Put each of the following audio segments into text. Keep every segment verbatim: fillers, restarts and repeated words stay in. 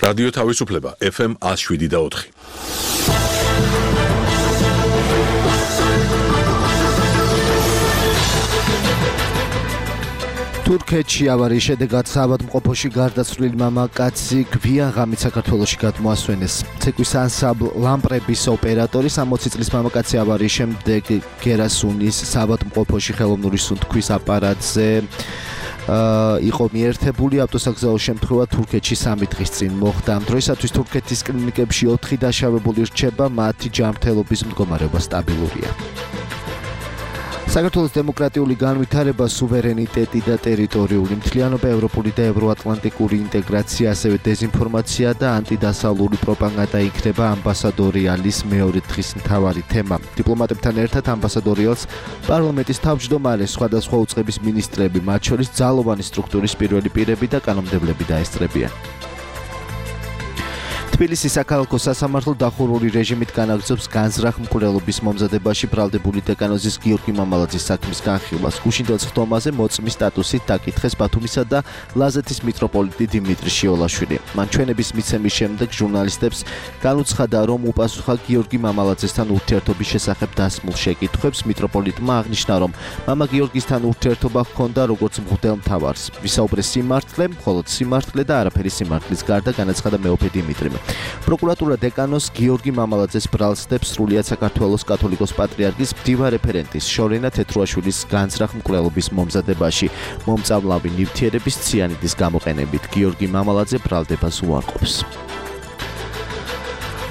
რადიო თავისუფლება ეფ ემ one oh seven და four. თურქეთში ავარიის შედეგად საავადმყოფოში გარდაცვლილი მამაკაცი გვიან ღამით საქართველოში გადმოასვენეს. ცეკვის ანსამბლ ლამპრების ოპერატორი სამოცი წლის მამაკაცი ავარიის შემდეგ გერასუნის საავადმყოფოში ხელოვნური სუნთქვის აპარატზე იყო მიერთებული. ავტოსაგზაო შემთხვევა თურქეთში სამი დღის წინ მოხდა. ამ დროისათვის თურქეთის კლინიკებში ოთხი დაშავებული რჩება, მათი ჯანმრთელობის მდგომარეობა სტაბილურია. საქართველოს დემოკრატიული განვითარება, სუვერენიტეტი და ტერიტორიული მთლიანობა, ევროპული და ევროატლანტიკური ინტეგრაცია, ასევე დეზინფორმაცია და ანტიდასავლური პროპაგანდა იქნება ამბასადორიალის მეორე დღის მთავარი თემა. დიპლომატებთან ერთად ამბასადორიალს პარლამენტის თავმჯდომარე, სხვადასხვა უწყების მინისტრები, მათ შორის ძალოვანი სტრუქტურის პირველი პირები და კანონმდებლები დაესწრებიან. თბილისის საქალაქო სასამართლო დახურული რეჟიმით განაგრძობს განზრახ მკვლელობის მომზადებაში ბრალდებული დეკანოზის გიორგი მამალაძის საქმის განხილვას. გუშინდელ სხდომაზე მოწმის სტატუსით დაკითხეს ბათუმისა და ლაზეთის მიტროპოლიტი დიმიტრი შიოლაშვილი. მან ჩვენების მიცემის შემდეგ ჟურნალისტებს განუცხადა, რომ უპასუხა გიორგი მამალაძესთან ურთიერთობის შესახებ დასმულ შეკითხვებს. მიტროპოლიტმა აღნიშნა, რომ მამა გიორგისთან ურთიერთობა ჰქონდა როგორც მღვდელმთავარს. ვისაუბრეს სიმართლე, მხოლოდ სიმართლე და არაფერი სიმართლის გარდა, განაცხადა მეუფე დიმიტრი. პროკურატურა დეკანოს გიორგი მამალაძეს ბრალსდებს სრულიად საქართველოს კათოლიკოს პატრიარქის მდივარ რეფერენტის შორენა თეთრუაშვილის განზრახ მკვლელობის მომზადებაში მომწამლავი ნივთიერების ციანიდის გამოყენებით. გიორგი მამალაძე ბრალდებას უარყოფს.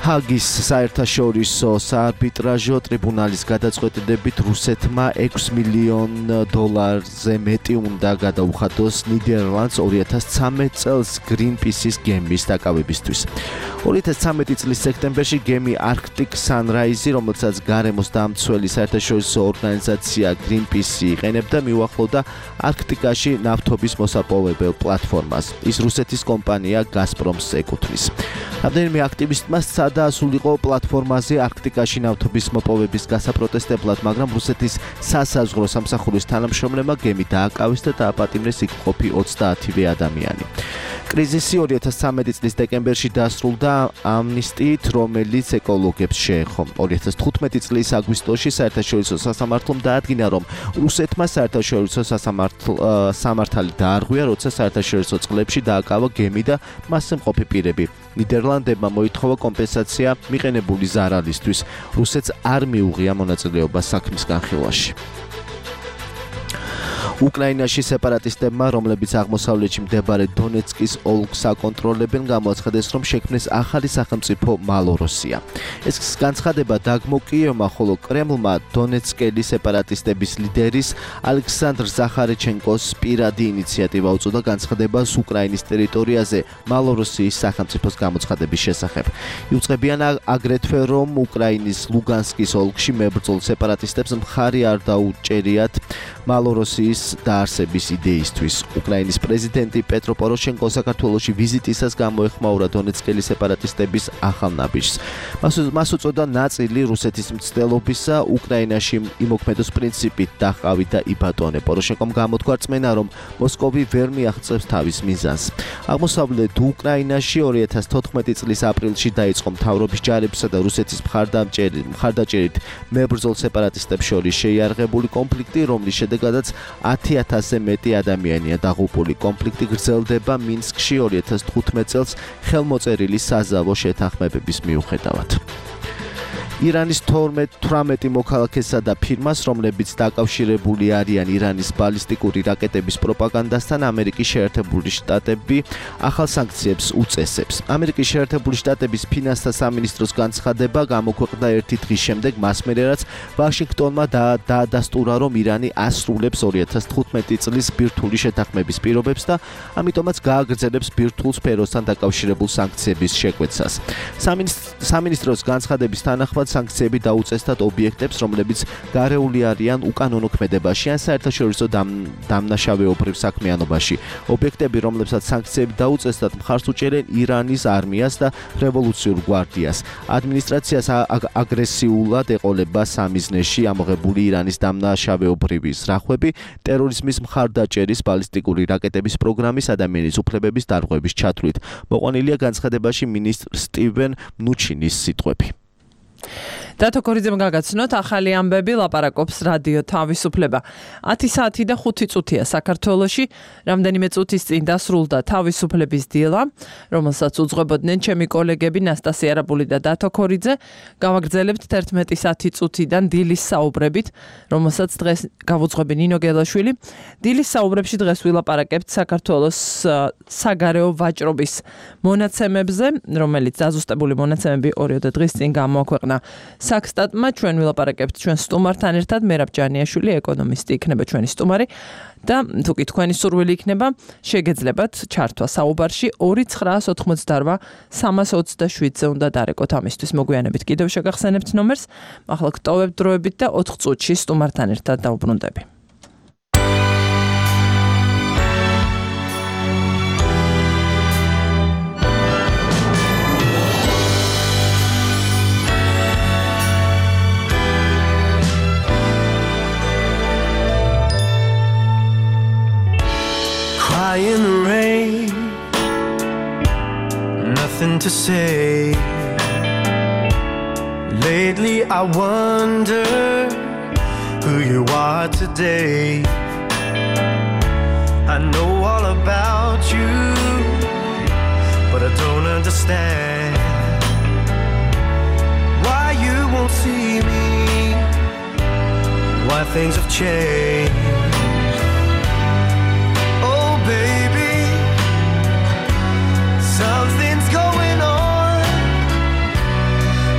ჰაგის საერთაშორისო საარბიტრაჟო ტრიბუნალის გადაწყვეტილებით რუსეთმა ექვს მილიონ დოლარზე მეტი უნდა გადაუხადოს ნიდერლანდს ორი ათას ცხრამეტ წელს გრინპისის გემის დაკავებისთვის. ორი ათას ცხრამეტი წლის სექტემბერში გემი Arctic Sunrise, რომელსაც გარემოს დამცველი საერთაშორისო ორგანიზაცია გრინპისი იყენებდა, მიუახლოვდა არქტიკაში ნავთობის მოსაპოვებელ პლატფორმას. ის რუსეთის კომპანია გაზპრომს ეკუთვნის. რამდენიმე აქტივისტმა დაასულიყო პლატფორმაზე არქტიკაში ნავთობის მოპოვების გასაპროტესტებლად, მაგრამ რუსეთის სასაზღვრო სამსახურის თანამშრომლებმა გემი დააკავეს და დააპატიმრეს იქ ყოფი ოცდაათივე ადამიანი. კრიზისი ორი ათას ცხრამეტი წლის დეკემბერში დასრულდა ამნისტიით, რომელიც ეკოლოგებს შეეხო. ორი ათას თხუთმეტი წლის აგვისტოში საერთაშორისო სასამართლომ დაადგინა, რომ რუსეთმა საერთაშორისო სამართალი დაარღვია, როცა საერთაშორისო წყლებში დააკავა გემი და მასზე მყოფი პირები. ნიდერლანდებმა მოითხოვა კომპენსაცია მიყენებული ზარალისთვის. რუსეთს არ მიუღია მონაწილეობა საქმის განხილვაში. უკრაინაში სეპარატისტებმა, რომლებიც აღმოსავლეთში მდებარე დონეცკის ოლქს აკონტროლებენ, გამოაცხადეს, რომ შექმნეს ახალი სახელმწიფო მალოროსია. ეს განცხადება დაგმო კიევმა, ხოლო კრემლმა დონეცკელი სეპარატისტების ლიდერის ალექსანდრ ზახარეჩენკოს პირადი ინიციატივა უწოდა განცხადებას უკრაინის ტერიტორიაზე მალოროსიის სახელმწიფოს გამოცხადების შესახებ. იუწყებიან აგრეთვე, რომ უკრაინის ლუგანსკის ოლქში მებრძოლ სეპარატისტებს მხარი არ დაუჭერიათ მალოროსიის დაარსების იდეისთვის. უკრაინის პრეზიდენტი პეტრო პოროშენკო საქართველოში ვიზიტისას გამოეხმაურა დონეცკელი სეპარატისტების ახალ ნაბიჯს. მას უწოდა ნაწილი რუსეთის მცდელობისა უკრაინაში იმოქმედოს პრინციპით დაჰყავი და იბატონე. პოროშენკომ გამოთქვა რწმენა, რომ მოსკოვი ვერ მიაღწევს თავის მიზანს. აღმოსავლეთ უკრაინაში ორი ათას თოთხმეტი წლის აპრილში დაიწყო მთავრობის ჯარებსა და რუსეთის მხარდაჭერით მებრძოლ სეპარატისტებს შორის შეიარაღებული კონფლიქტი, რომლის შედეგადაც ათი ათასზე მეტი ადამიანია დაღუპული. კონფლიქტი გრძელდება მინსკში ორი ათას თხუთმეტ წელს ხელმოწერილი საზავო შეთანხმებების მიუხედავად. ირანის თორმეტ მოქალაქესა და ფირმას, რომლებიც დაკავშირებული არიან ირანის ბალისტიკური რაკეტების პროპაგანდასთან, ამერიკის შეერთებული შტატები ახალ სანქციებს უწესებს. ამერიკის შეერთებული შტატების ფინანსთა სამინისტროს განცხადება გამოქვეყნდა ერთი დღის შემდეგ, მას მერე რაც ვაშინგტონმა დაადასტურა, რომ ირანი ასრულებს ორი ათას თხუთმეტი წლის ბირთვული შეთანხმების პირობებს და ამიტომაც გააგრძელებს ბირთვულ სფეროსთან დაკავშირებულ სანქციების შეკვეცას. სამინისტროს განცხადების თანახმად სანქციები დაუწესდათ ობიექტებს, რომლებიც გარეული არიან უკანონო ქმედებაში ან საერთაშორისო დამნაშავეობრივ საქმიანობაში. ობიექტები, რომლებსაც სანქციები დაუწესდათ, მხარს უჭერენ ირანის არმიას და რევოლუციურ გვარდიას. ადმინისტრაციას აგრესიულად ეყოლება სამიზნეში ამოღებული ირანის დამნაშავეობრივი ზრახვები, ტერორიზმის მხარდაჭერის, ბალისტიკური რაკეტების პროგრამის, ადამიანის უფლებების დარღვევის ჩათვლით. მოყვანილია განცხადებაში მინისტრ სტივენ მნუჩინის სიტყვები. დათო ქორიძემ გაგაცნოთ ახალი ამბები ლაპარაკობს რადიო თავისუფლება. ათი საათი და ხუთი წუთია საქართველოში, რამდენიმე წუთის წინ დასრულდა თავისუფლების დილა, რომელსაც უძღვებოდნენ ჩემი კოლეგები ნასტასია არაბული და დათო ქორიძე. გავაგრძელებთ თერთმეტი საათი წუთიდან დილის საუბრებით, რომელსაც დღეს გავუძღვები ნინო გელაშვილი. დილის საუბრებში დღეს ვილაპარაკებთ საქართველოს საგარეო ვაჭრობის მონაცემებზე, რომელიც დაზუსტებული მონაცემები ორიოდე დღის წინ გამოაქვეყნა საქსტატმა. ჩვენ ვილაპარაკებთ ჩვენ სტუმართან ერთად, მერაბ ჯანიაშვილი, ეკონომისტი იქნება ჩვენი სტუმარი და თუ კი თქვენი სურვილი იქნება, შეგეძლებათ ჩართვა საუბარში ორი ცხრაას ოთხმოცდარვა სამას ოცდაშვიდზე უნდა დარეკოთ ამისთვის. მოგვიანებით კიდევ შეგახსენებთ ნომერს, ახლა გტოვებთ დროებით და ოთხ წუთში სტუმართან ერთად დავუბრუნდები. In the rain, nothing to say. Lately I wonder who you are today. I know all about you, but I don't understand why you won't see me, why things have changed. Baby, something's going on.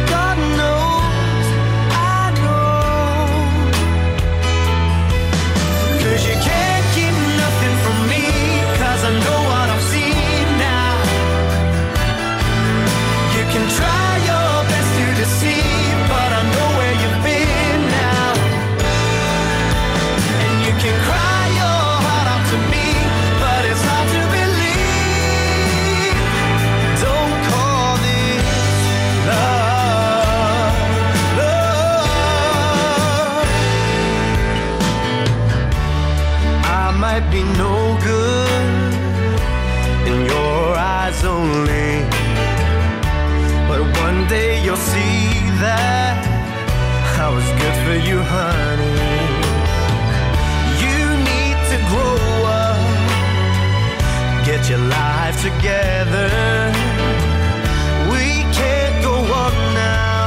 God knows, I know. 'Cause you can't keep nothing from me, 'cause I know what I've seen now. You can try your best to deceive, but I know where you've been now. And you can cry your heart out to me, it's hard to believe. Don't call this love, love. I might be no good in your eyes only, but one day you'll see that I was good for you, honey. You need to grow up, get your life together. We can't go on now,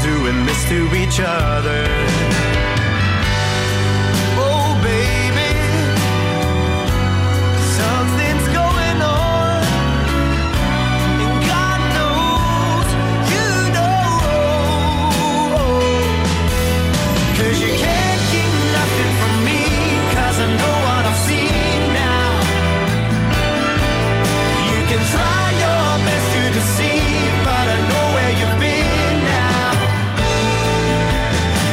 doing this to each other. Oh baby, something's going on, and God knows you know. 'Cause you can't keep nothing from me, 'cause I know what I've seen now. You can try your best to deceive, but I know where you've been now.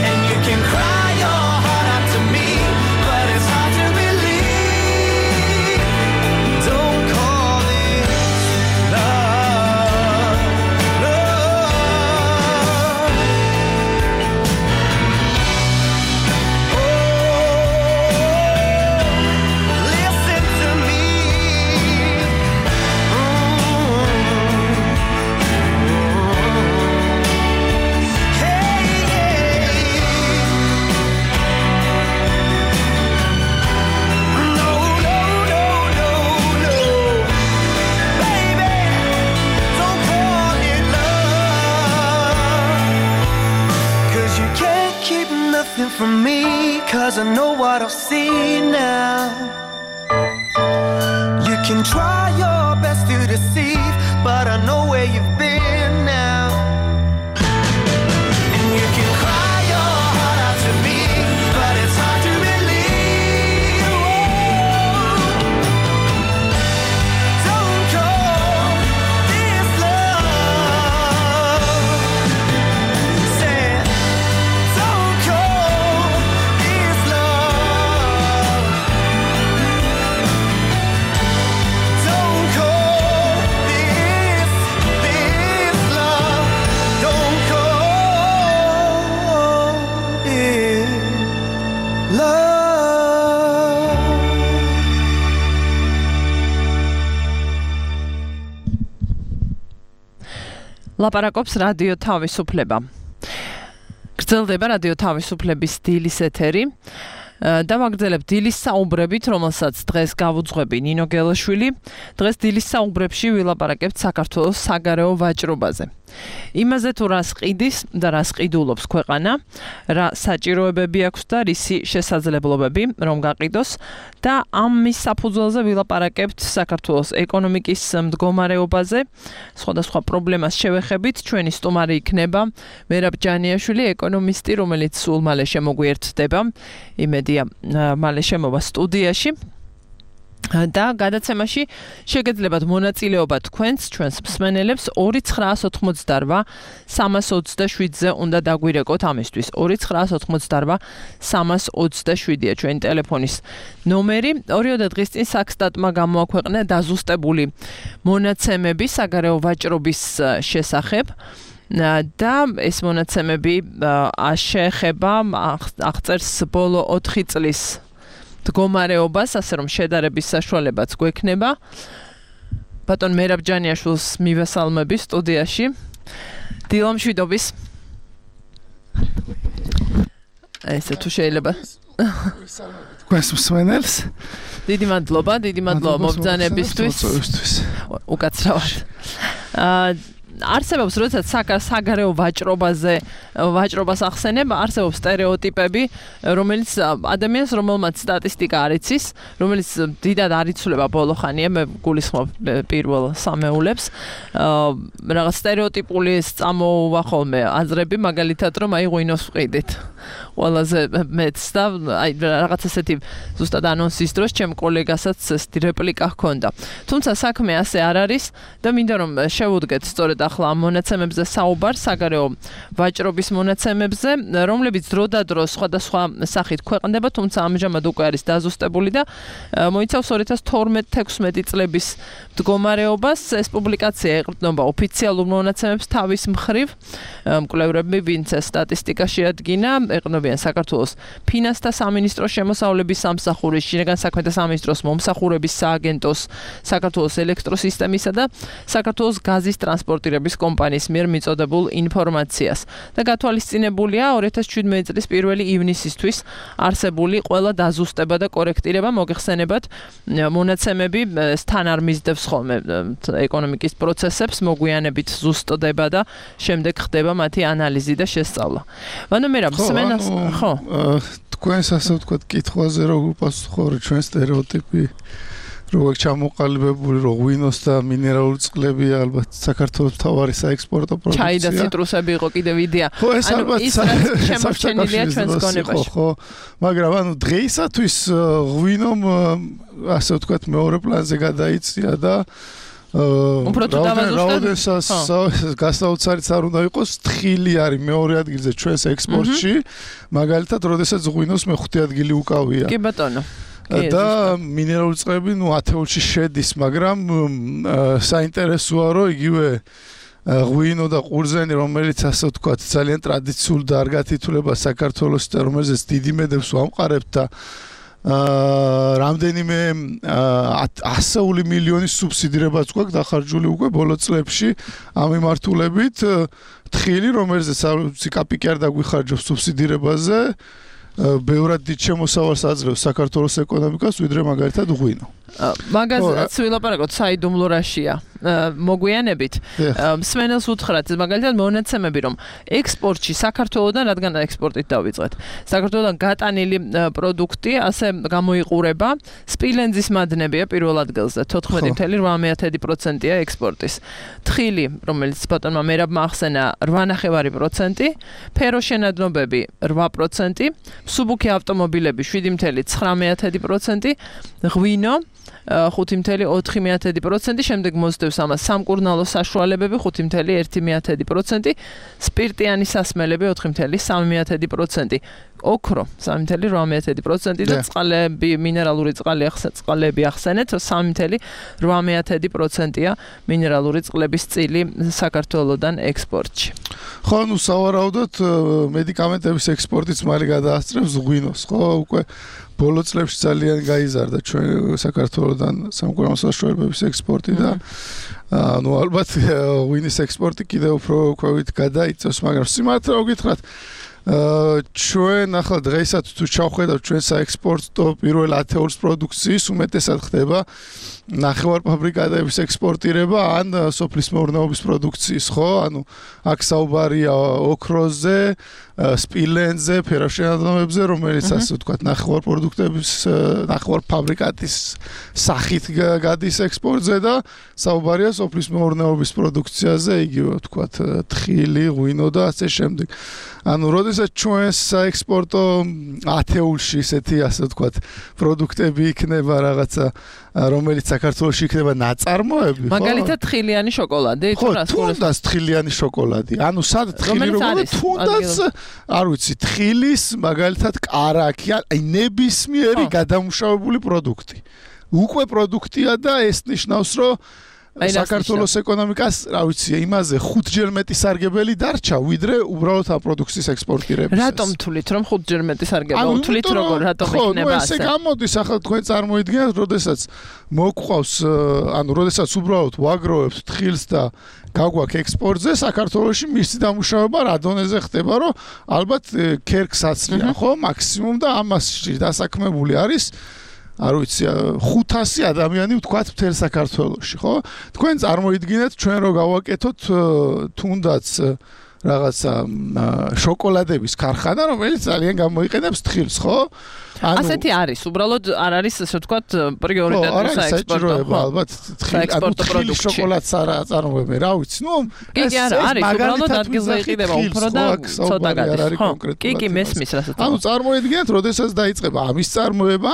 And you can cry your heart out to me, but it's hard to believe. Don't call this love, love. Oh, listen to me. From me, 'cause I know what I've seen now. You can try your best to deceive, but I know where you've been now. And you can cry your heart out to me, but it's hard to believe. Don't call this love. love. ლაპარაკობს რადიო თავისუფლება. გრძელდება რადიო თავისუფლების დილის ეთერი. დავაგრძელებ დილის საუბრებით, რომელსაც დღეს გავუძღვები ნინო გელაშვილი. დღეს დილის საუბრებში ვილაპარაკებთ საქართველოს საგარეო ვაჭრობაზე. იმაზე თუ რას ყიდის და რას ყიდულობს ქვეყანა, რა საჭიროებები აქვს და რისი შესაძლებლობები რომ გაყიდოს და ამის საფუძველზე ვილაპარაკებთ საქართველოს ეკონომიკის მდგომარეობაზე, სხვადასხვა პრობლემას შევეხებით. ჩვენი სტუმარი იქნება მერაბ ჯანიაშვილი, ეკონომისტი, რომელიც სულ მალე შემოგვიერთდება. იმედია მალე შემოვა სტუდიაში. და გადაცემაში შეგეძლებათ მონაწილეობა თქვენს, ჩვენს მსმენელებს ორი ცხრაას ოთხმოცდარვა სამას ოცდაშვიდზე უნდა დაგვირეკოთ ამისთვის. ორი ცხრაას ოთხმოცდარვა სამას ოცდაშვიდია ჩვენი ტელეფონის ნომერი. ორიოდე დღის წინ საქსტატმა გამოაქვეყნა დაზუსტებული მონაცემები საგარეო ვაჭრობის შესახებ. და ეს მონაცემები შეეხება აღწერს ბოლო ოთხი წლის მდგომარეობას, ასე რომ შედარების საშუალებაც გვექნება. ბატონ მერაბ ჯანიაშვილს მივესალმები სტუდიაში. დილო მშვიდობის. ესე თუ შეიძლება. თქვენს მსმენელს. დიდი მადლობა, დიდი მადლობა მობრძანებისთვის. უკაცრავად. აა არსებობს, როდესაც საგარეო ვაჭრობაზე ვაჭრობას ახსენებ, არსებობს სტერეოტიპები, რომელიც ადამიანს, რომელმაც სტატისტიკა არ იცის, რომელიც დიდად არ იცვლება ბოლო ხანია, მე გულისხმობ პირველ სამეულებს. რაღაც სტერეოტიპული წამოუვა ხოლმე აზრები, მაგალითად, რომ აი ღვინოს ვყიდით. ყველაზე მეც და აი რაღაც ესეთი ზუსტად ანონსის დროს ჩემ კოლეგასაც ესეთი რეპლიკა ჰქონდა. თუმცა საქმე ასე არ არის და მინდა რომ შევუდგეთ სწორედ ახლა ამ მონაცემებზე საუბარ, საგარეო ვაჭრობის მონაცემებზე, რომლებიც დროდადრო სხვადასხვა სახით ქვეყნდება, თუმცა ამჟამად უკვე არის დაზუსტებული და მოიცავს ორი ათას თორმეტ თექვსმეტი წლების მდგომარეობას. ეს პუბლიკაცია ეყრდნობა ოფიციალურ მონაცემებს თავის მხრივ. მკვლევრები, ვინც სტატისტიკაში ადგინა, ეყრდნობიან საქართველოს ფინანსთა სამინისტროს შემოსავლების სამსახურის, შინაგან საქმეთა სამინისტროს მომსახურების სააგენტოს, საქართველოს ელექტროსისტემისა და საქართველოს გაზის ტრანსპორტირების კომპანიის მიერ მიწოდებულ ინფორმაციას. და გათვალისწინებულია ორი ათას შვიდმეტი წლის პირველი ივნისისთვის არსებული ყველა დაზუსტება და კორექტირება. მოგეხსენებათ, მონაცემები თან არ მისდევს ხოლმე ეკონომიკის პროცესებს, მოგვიანებით ზუსტდება და შემდეგ ხდება მათი ანალიზი და შესწავლა. ანუ მე რა მსმენელს ხო თქვენს ასე ვთქვათ კითხვაზე რო უპასუხო, რომ ჩვენ სტერეოტიპი როგორ ჩამოყალიბებული, რომ ღვინოს და მინერალური წყლები ალბათ საქართველოს მთავარი საექსპორტო პროდუქცია. ჩაი და ციტრუსები იყო კიდევ იდეა. ანუ ის შემორჩენილია ჩვენს გონებაში. ხო, მაგრამ ანუ დღეისათვის ღვინომ ასე ვთქვათ მეორე პლანზე გადაიწია და უფრო თუ დავაზუსტოთ, გასაოცარიც არ უნდა იყოს, თხილი არის მეორე ადგილზე ჩვენს ექსპორტში, მაგალითად, როდესაც ღვინოს მეხუთე ადგილი უკავია. კი ბატონო. და მინერალური წყლები ნუ ათეულში შედის, მაგრამ საინტერესოა, რომ იგივე ღვინო და ყურძენი, რომელიც ასე ვთქვათ, ძალიან ტრადიციულ და არ გათითულება საქართველოს და რომელზეც დიდი მედებს ვამყარებთ და რამდენიმე ასეული მილიონის სუბსიდირებაც გვაქვს დახარჯული უკვე ბოლო წლებში ამ მიმართულებით. თხილი, რომელზეც არ ვიცი კაპიკი არ დაგვიხარჯოს სუბსიდირებაზე, ბევრად დიდ შემოსავალს აძლევს საქართველოს ეკონომიკას, ვიდრე მაგალითად ღვინო. მაგაზაც ვილაპარაკოთ საიდუმლო რაშია. მოგვიანებით მსმენელს უთხრათ მაგალითად მონაცემები, რომ ექსპორტში საქართველოდან, რადგან ექსპორტით დავიწყეთ, საქართველოდან გატანილი პროდუქტი ასე გამოიყურება, სპილენძის მადნებია პირველ ადგილზე, თოთხმეტი წუთი ოთხ პროცენტია ექსპორტის. თხილი, რომელიც ბატონმა მერაბმა ახსენა, რვა ნახევარი პროცენტი, ფეროშენადნობები რვა პროცენტი, მსუბუქი ავტომობილები შვიდი წუთი ცხრამეტი პროცენტი, ღვინო ხუთი წუთი ოთხ პროცენტი, შემდეგ მოსდევს აკავშირებს ამას. სამკურნალო საშუალებები ხუთი წუთი ერთი მეათედი პროცენტი, სპირტიანი სასმელები ოთხი წუთი სამი მეათედი პროცენტი. ოქრო სამი წუთი რვა მეათედი პროცენტი და წყალები, მინერალური წყალი წყალები ახსენეთ სამი წუთი რვა მეათედი პროცენტია მინერალური წყლების წილი საქართველოსდან ექსპორტში. ხო, ნუ სავარაუდოდ მედიკამენტების ექსპორტიც მალე გადაასწრებს ღვინოს, ხო, უკვე ბოლო წლებში ძალიან გაიზარდა ჩვენ საქართველოსდან სამკურნალო საშუალებების ექსპორტი და ну ალბათ ღვინის ექსპორტი კიდევ უფრო ქვევით გადაიწევს, მაგრამ სიმართლე რომ გითხრათ ჩვენ ახლა დღესაც თუ ჩავხედავთ ჩვენ საექსპორტო პირველ ათეულს პროდუქციის უმეტესად ხდება ნახევარფაბრიკატების ექსპორტირება ან სოფლის მეურნეობის პროდუქციის, ხო? ანუ აქ საუბარია ოქროზე, სპილენზე, ფეროშენადნობებზე, რომელიც ასე ვთქვათ, ნახევარ პროდუქტების, ნახევარ ფაბრიკატის სახით გადის ექსპორტზე და საუბარია სოფლის მეურნეობის პროდუქციაზე, იგივე ვთქვათ, თხილი, ღვინო და ასე შემდეგ. ანუ როდესაც ჩვენ საექსპორტო ათეულში ესეთი ასე ვთქვათ, პროდუქტები იქნება რაღაცა რომელიც საქართველოში იქნება ნაწარმოები, ხო? მაგალითად თხილიანი შოკოლადი, თუ რა თუნდაც თხილიანი შოკოლადი. ანუ სად თხილი როგორ თუნდაც არ ვიცი, თხილის მაგალითად კარაქი, აი ნებისმიერი გადამუშავებული პროდუქტი. უკვე პროდუქტია და ეს ნიშნავს, რომ საქართველოს ეკონომიკას, რა ვიცი, იმაზე ხუთჯერ მეტი სარგებელი დარჩა, ვიდრე უბრალოდ ამ პროდუქციის ექსპორტირებისას. რატომ თვლით, რომ ხუთჯერ მეტი სარგებელი? თვლით როგორ, რატომ იქნება ასე? ხო, ესე გამოდის, ახლა თქვენ წარმოიდგინეთ, როდესაც მოგვყავს, ანუ როდესაც უბრალოდ ვაგროვებთ თხილს და გაგვაქვს ექსპორტზე, საქართველოში მისი დამუშავება რა დონეზე ხდება, რომ ალბათ ქერქს აცლიან, ხო, მაქსიმუმ და ამასში დასაქმებული არის არ ვიცი ხუთასი ადამიანი ვთქვათ მთელ საქართველოში, ხო? თქვენ წარმოიდგინეთ ჩვენ რო გავაკეთოთ თუნდაც რაღაცა შოკოლადების ქარხანა, რომელიც ძალიან გამოიყენებს თხილს, ხო? ასეთი არის, უბრალოდ არ არის ასე ვთქვათ პრიორიტეტი საექსპორტო. ალბათ თხილი შოკოლადს არ აწარმოებენ, რა ვიცი. ნუ კი, არა, არის, უბრალოდ ადგილზე იყიდება უფრო და ცოტა გადის, ხო? კი, კი, მესმის რასაც. ანუ წარმოიდგინეთ, როდესაც დაიწყება ამის წარმოება,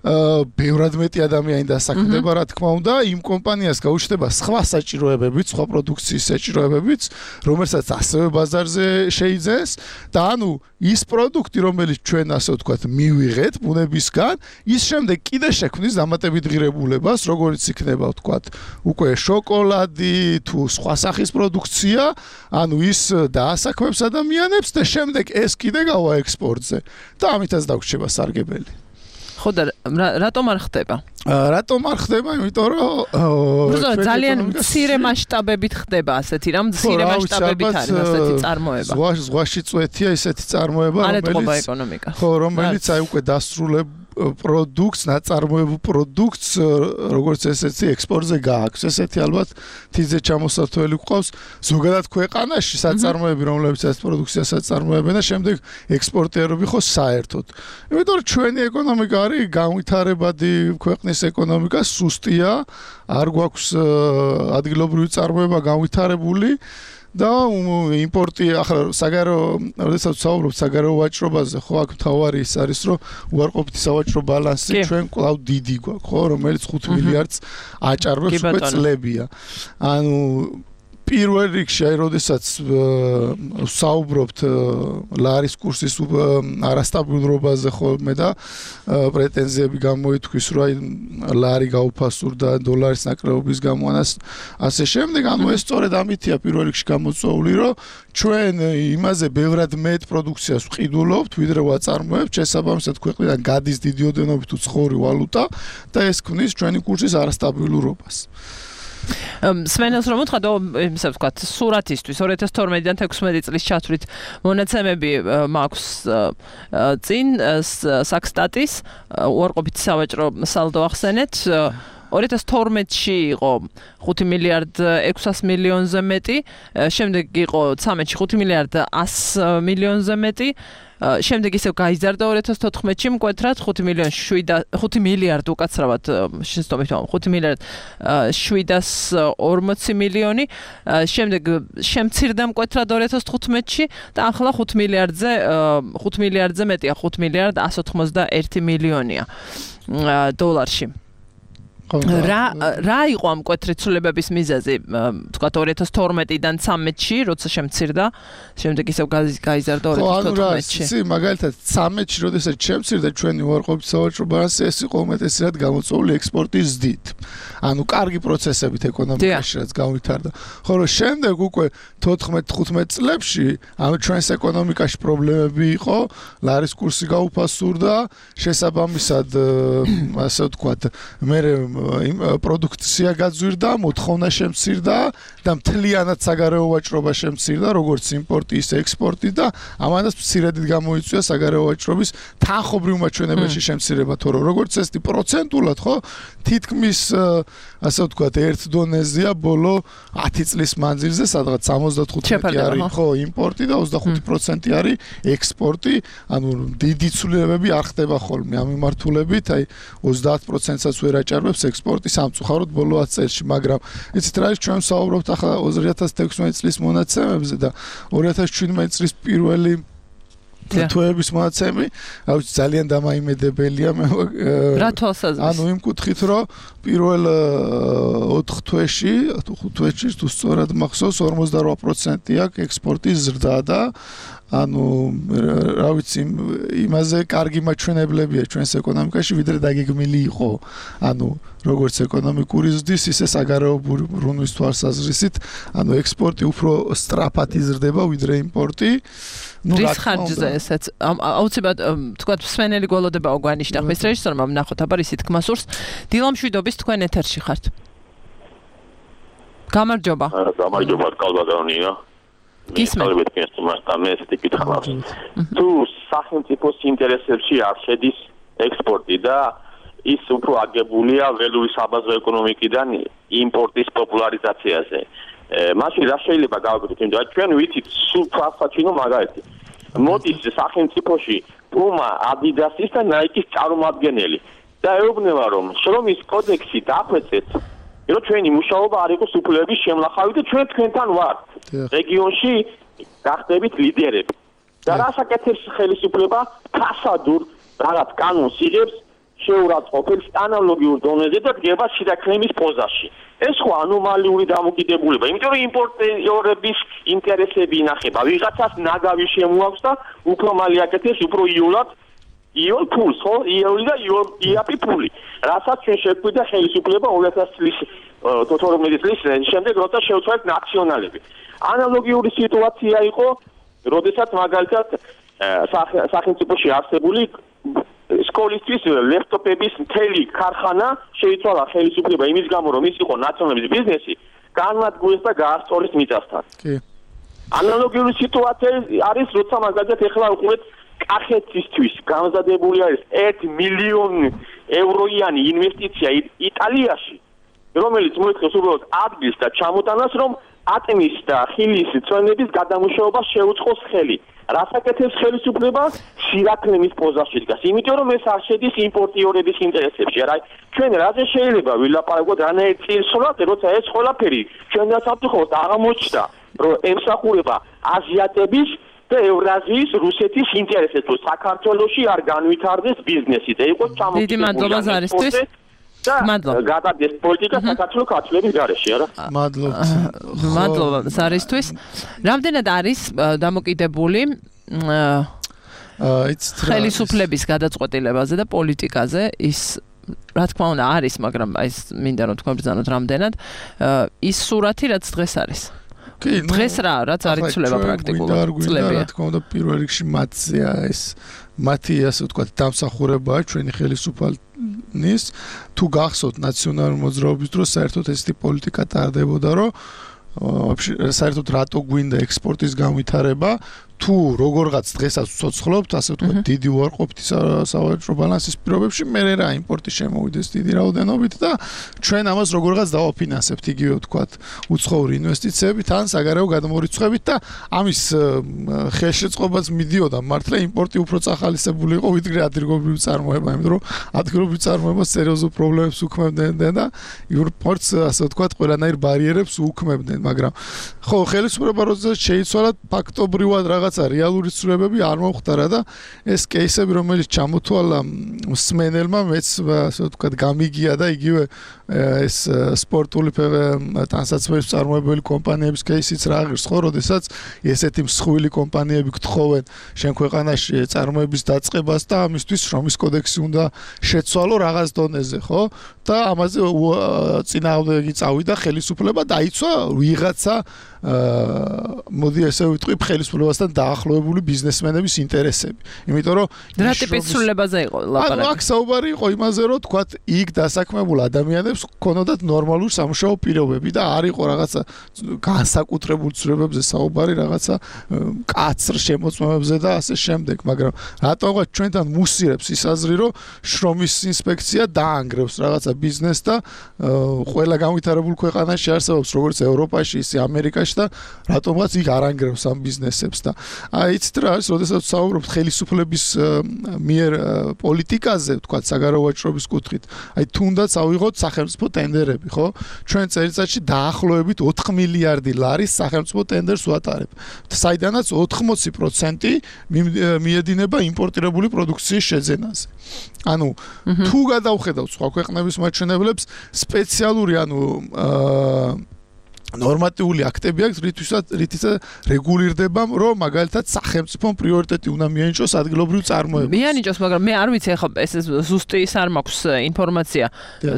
ბევრად მეტი ადამიანი დასაქმდება, რა თქმა უნდა, იმ კომპანიას გაუჩნდება სხვა საჭიროებებიც, სხვა პროდუქციის საჭიროებებიც, რომელსაც ასევე ბაზარზე შეიძენს და ანუ ის პროდუქტი, რომელიც ჩვენ ასე ვთქვათ, მივიღეთ ბუნებისგან, ის შემდეგ კიდე შექმნის დამატებით ღირებულებას, როგორც იქნება ვთქვათ, უკვე შოკოლადი თუ სხვა სახის პროდუქცია, ანუ ის დაასაქმებს ადამიანებს და შემდეგ ეს კიდე გავა ექსპორტზე და ამითაც დაგვრჩება სარგებელი. ხო და რატომ არ ხდება? რატომ არ ხდება? იმიტომ რომ ძალიან მცირე მასშტაბებით ხდება ასეთი რამ, მცირე მასშტაბებით არის ასეთი წარმოება. ზღვაში წვეთია ესეთი წარმოება, რომელიც ეკონომიკა. ხო, რომელიც აი უკვე დასრულებ პროდუქტს, ნაწარმოებულ პროდუქტს, როგორც ესეთი ექსპორტზე გააქვს. ესეთი ალბათ თიძე ჩამოსართველი გვყავს ზოგადად ქვეყანაში საწარმოები, რომლებიც ეს პროდუქციას აწარმოებენ და შემდეგ ექსპორტერები ხო საერთოდ. იმიტომ რომ ჩვენი ეკონომიკა არის განვითარებადი ქვეყნის ეკონომიკა, სუსტია, არ გვაქვს ადგილობრივი წარმოება განვითარებული. და იმპორტი ახლა საგარეო, როდესაც ვსაუბრობთ საგარეო ვაჭრობაზე, ხო, აქ მთავარი ის არის, რომ უარყოფითი სავაჭრო ბალანსი ჩვენ კვლავ დიდი გვაქვს, ხო, რომელიც ხუთ მილიარდს აჭარბებს უკვე წლებია. ანუ პირველ რიგში, აი, როდესაც ვსაუბრობთ ლარის კურსის არასტაბილურობაზე ხოლმე და პრეტენზიები გამოითქვის, რომ აი ლარი გაუფასურდა დოლარის ნაკლებობის გამო, ასე შემდეგ, ანუ ეს სწორედ ამითია პირველ რიგში გამოწვეული, რომ ჩვენ იმაზე ბევრად მეტ პროდუქციას ვყიდულობთ, ვიდრე ვაწარმოებთ, შესაბამისად ქვეყნიდან გადის დიდი ოდენობით უცხოური ვალუტა და ეს ქმნის ჩვენი კურსის არასტაბილურობას. სვენელს რომ უთხრა, ისე ვთქვათ, სურათისთვის ორი ათას თორმეტიდან თექვსმეტი წლის ჩათვლით მონაცემები მაქვს წინ საქსტატის უარყოფითი სავაჭრო სალდო ახსენეთ. ორი ათას თორმეტში იყო ხუთი მილიარდ ექვსას მილიონზე მეტი, შემდეგ იყო ცამეტში ხუთი მილიარდ ასი მილიონზე მეტი, შემდეგ ისევ გაიზარდა ორი ათას თოთხმეტში მკვეთრად ხუთი მილიონი ხუთი მილიარდ უკაცრავად შეცდომით ხუთი მილიარდ შვიდასი ორმოცი მილიონი, შემდეგ შემცირდა მკვეთრად ორი ათას თხუთმეტში და ახლა ხუთ მილიარდზე ხუთ მილიარდზე მეტია, ხუთ მილიარდ ასი ოცდაერთი მილიონია დოლარში. რა რა იყო ამ კვეთრიცულებების მიზეზი? თქვათ ორი ათას თორმეტიდან ცამეტში, როცა შემცირდა, შემდეგ ისევ გაიზარდა ორი ათას თოთხმეტში. ხო, მაგალითად ცამეტში, როდესაც შემცირდა ჩვენი უარყოფით სავაჭრო ბალანსი, ეს იყო უმეტესად გამოწვეული ექსპორტის ზრდით. ანუ კარგი პროცესებით ეკონომიკაში რაც გავითარდა. ხოლო შემდეგ უკვე თოთხმეტ ხუთმეტ წლებში, ანუ ჩვენს ეკონომიკაში პრობლემები იყო, ლარის კურსი გაუფასურდა, შესაბამისად, ასე ვთქვათ, მე პროდუქცია გაძვირდა, მოთხოვნა შემცირდა და მთლიანად საგარეო ვაჭრობა შემცირდა, როგორც იმპორტი, ისე ექსპორტი და ამანაც მცირედით გამოიწვია საგარეო ვაჭრობის თანხობრივ მაჩვენებელში შემცირება, თორემ როგორც ესეთი პროცენტულად, ხო, თითქმის ასე ვთქვათ, ერთ დონეზეა ბოლო ათი წლის მანძილზე, სადღაც სამოცდათხუთმეტი არის ხო იმპორტი და ოცდახუთი პროცენტი არის ექსპორტი, ანუ დიდი ცვლილებები არ ხდება ხოლმე ამ მიმართულებით, აი ოცდაათ პროცენტსაც ვერ აჭარბებს ექსპორტი სამწუხაროდ ბოლო ათ წელში, მაგრამ იცით რა ის ჩვენ საუბრობთ ახლა ორი ათას თექვსმეტი წლის მონაცემებზე და ორი ათას შვიდმეტი წლის პირველი თვეების მონაცემები, აუცი ძალიან დამაიმედებელია მე რა თვალსაზრისით? ანუ იმ კუთხით, რომ პირველ ოთხ თვეში, ხუთ თვეში თუ სწორად მახსოვს ორმოცდარვა პროცენტი აქვს ექსპორტის ზრდა და ანუ რა ვიცი იმაზე კარგი მაჩვენებლებია ჩვენს ეკონომიკაში ვიდრე დაგეგმილი იყო. ანუ როგორც ეკონომიკური ზრდის, ისე საგარეო ბრუნვის თვალსაზრისით, ანუ ექსპორტი უფრო სწრაფად იზრდება ვიდრე იმპორტი. ნუ რის ხარჯზე ესეც აუცილებლად თქვათ მსმენელი გველოდება ოგვანიშდა ხმის რეჟისორმა ვნახოთ აბა ისი თქმა სურს. დილა მშვიდობის თქვენ ეთერში ხართ. გამარჯობა. გამარჯობა კალბატონია. გისმენთ და მე ესეთი კითხავს. თუ სახელმწიფოს ინტერესებში არ შედის ექსპორტი და ის უფრო აგებულია ველური საბაზრო ეკონომიკიდან იმპორტის პოპულარიზაციაზე. მაშინ რა შეიძლება გავაკეთოთ? იმიტომ რომ ჩვენ ვიცით სულ ფასაჩინო მაგალითი. მოდის სახელმწიფოში პუმა, ადიდასის და ნაიკის წარმომადგენელი და ეუბნება რომ შრომის კოდექსი დახვეწეთ, რომ ჩვენი მუშაობა არ იყოს უფლებების შემლახავი და ჩვენ თქვენთან ვართ. რეგიონში გახდებით ლიდერები. და რასაკეთებს ხელისუფლება ფასადურ რაღაც კანონს იღებს შეურაცხყოფებს ანალოგიურ დონეზე და დგება შიდაქნების პოზაში. ეს ხო ანომალიური დამოკიდებულება, იმიტომ რომ იმპორტიორების ინტერესები ინახება. ვიღაცას ნაგავი შემოაქვს და უფრო მალე აკეთებს უფრო იოლად იოლ ფულს, ხო? იოლი და იაპი ფული. რასაც ჩვენ შეგვიდა ხელისუფლება ორი ათას წლის თორმეტი წლის შემდეგ, როცა შევცვალეთ ნაციონალები. ანალოგიური სიტუაცია იყო, როდესაც მაგალითად სახელმწიფოში არსებული სკოლისთვის ლეპტოპების მთელი ქარხანა შეიცვალა ხელისუფლება იმის გამო, რომ ის იყო ნაციონალების ბიზნესი, განადგურეს და გაასწორეს მიწასთან. კი. ანალოგიური სიტუაცია არის, როცა მაგალითად ეხლა უყურეთ კახეთისთვის გამზადებული არის ერთი მილიონი ევროიანი ინვესტიცია იტალიაში, რომელიც მოითხოვს უბრალოდ ადგილს და ჩამოტანას, რომ ატმის და ხილის წვენების გადამუშავებას შეუწყოს ხელი. რასაკეთებს ხელისუფლება? სირაქლემის პოზაში დგას. იმიტომ რომ ეს არ შედის იმპორტიორების ინტერესებში. არა, ჩვენ რაზე შეიძლება ვილაპარაკოთ რანაირ წილსვლად, როცა ეს ყველაფერი ჩვენთან საფრთხოდ აღმოჩნდა, რომ ემსახურება აზიატების და ევრაზიის, რუსეთის ინტერესებს, რომ საქართველოში არ განვითარდეს ბიზნესი და იყოს ჩამოყალიბებული. დიდი მადლობა ზარისთვის. და გადადეს პოლიტიკა საქართველოს ქართლების გარეშე, არა? მადლობთ. მადლობა ზარისთვის. რამდენად არის დამოკიდებული ხელისუფლების გადაწყვეტილებაზე და პოლიტიკაზე ის რა თქმა უნდა არის, მაგრამ აი მინდა რომ თქვენ ბრძანოთ რამდენად ის სურათი რაც დღეს არის. კი, დღეს რა, რაც არ იცვლება პრაქტიკულად წლებია. რა თქმა უნდა პირველ რიგში მათზეა ეს მათი ასე ვთქვათ დამსახურებაა ჩვენი ხელისუფლების თუ გახსოვთ ნაციონალური მოძრაობის დროს საერთოდ ესეთი პოლიტიკა ტარდებოდა, რომ вообще საერთოდ რატო გვინდა ექსპორტის განვითარება თუ როგორღაც დღესაც ვცოცხლობთ, ასე ვთქვათ, დიდი უარყოფითი სავაჭრო ბალანსის პირობებში, მე რა იმპორტი შემოვიდეს დიდი რაოდენობით და ჩვენ ამას როგორღაც დავაფინანსებთ, იგივე ვთქვათ, უცხოური ინვესტიციებით, ან საგარეო გადამორიცხვებით და ამის ხელშეწყობაც მიდიოდა, მართლა იმპორტი უფრო წახალისებული იყო, ვიდრე ადგილობრივი წარმოება, იმიტომ რომ ადგილობრივი წარმოება სერიოზულ პრობლემებს უქმებდნენ და იმპორტს, ასე ვთქვათ, ყველანაირ ბარიერებს უქმებდნენ, მაგრამ ხო, ხელისუფლება როდესაც შეიცვალა ფაქტობრივად რაღაც რეალური ცვლილებები არ მომხდარა და ეს კეისები, რომელიც ჩამოთვალა მსმენელმა, მეც ასე ვთქვათ, გამიგია და იგივე ეს სპორტული ტანსაცმლის წარმოებელი კომპანიების кейსიც რა ღირს ხო, როდესაც ესეთი მსხვილი კომპანიები გთხოვენ შენ ქვეყანაში წარმოების დაწყებას და ამისთვის შრომის კოდექსი უნდა შეცვალო რაღაც დონეზე, ხო? და ამაზე წინააღმდეგი წავიდა ხელისუფლება დაიცვა ვიღაცა მოდი ესე ვიტყვი ხელისუფლებასთან დაახლოებული ბიზნესმენების ინტერესები. იმიტომ რომ რა ტიპის სრულებაზე იყო ლაპარაკი? აქ საუბარი იყო იმაზე, რომ თქვათ იქ დასაქმებულ ადამიანებს ქონოდათ ნორმალური სამუშაო პირობები და არ იყო რაღაცა განსაკუთრებულ ცვლილებებზე საუბარი, რაღაცა კაცრ შემოწმებებზე და ასე შემდეგ, მაგრამ რატომღაც ჩვენთან მუსირებს ის აზრი, რომ შრომის ინსპექცია დაანგრევს რაღაცა ბიზნესს და ყველა განვითარებულ ქვეყანაში არსებობს როგორც ევროპაში, ისე ამერიკაში და რატომღაც იქ არ ანგრევს ამ ბიზნესებს და აი იცით რა არის, როდესაც საუბრობთ ხელისუფლების მიერ პოლიტიკაზე, თქვათ საგარეო ვაჭრობის კუთხით, აი თუნდაც ავიღოთ სახელმწიფო ტენდერები, ხო? ჩვენ წელიწადში დაახლოებით ოთხ მილიარდი ლარის სახელმწიფო ტენდერს ვატარებ. საიდანაც ოთხმოცი პროცენტი მიედინება იმპორტირებული პროდუქციის შეძენაზე. ანუ თუ გადავხედავთ სხვა ქვეყნების მაჩვენებლებს, სპეციალური ანუ ნორმატიული აქტები აქვს, რითიც რეგულირდება, რომ მაგალითად სახელმწიფომ პრიორიტეტი უნდა მიანიჭოს ადგილობრივ წარმოებას. მიანიჭოს, მაგრამ მე არ ვიცი ახლა ეს ზუსტი ის არ მაქვს ინფორმაცია.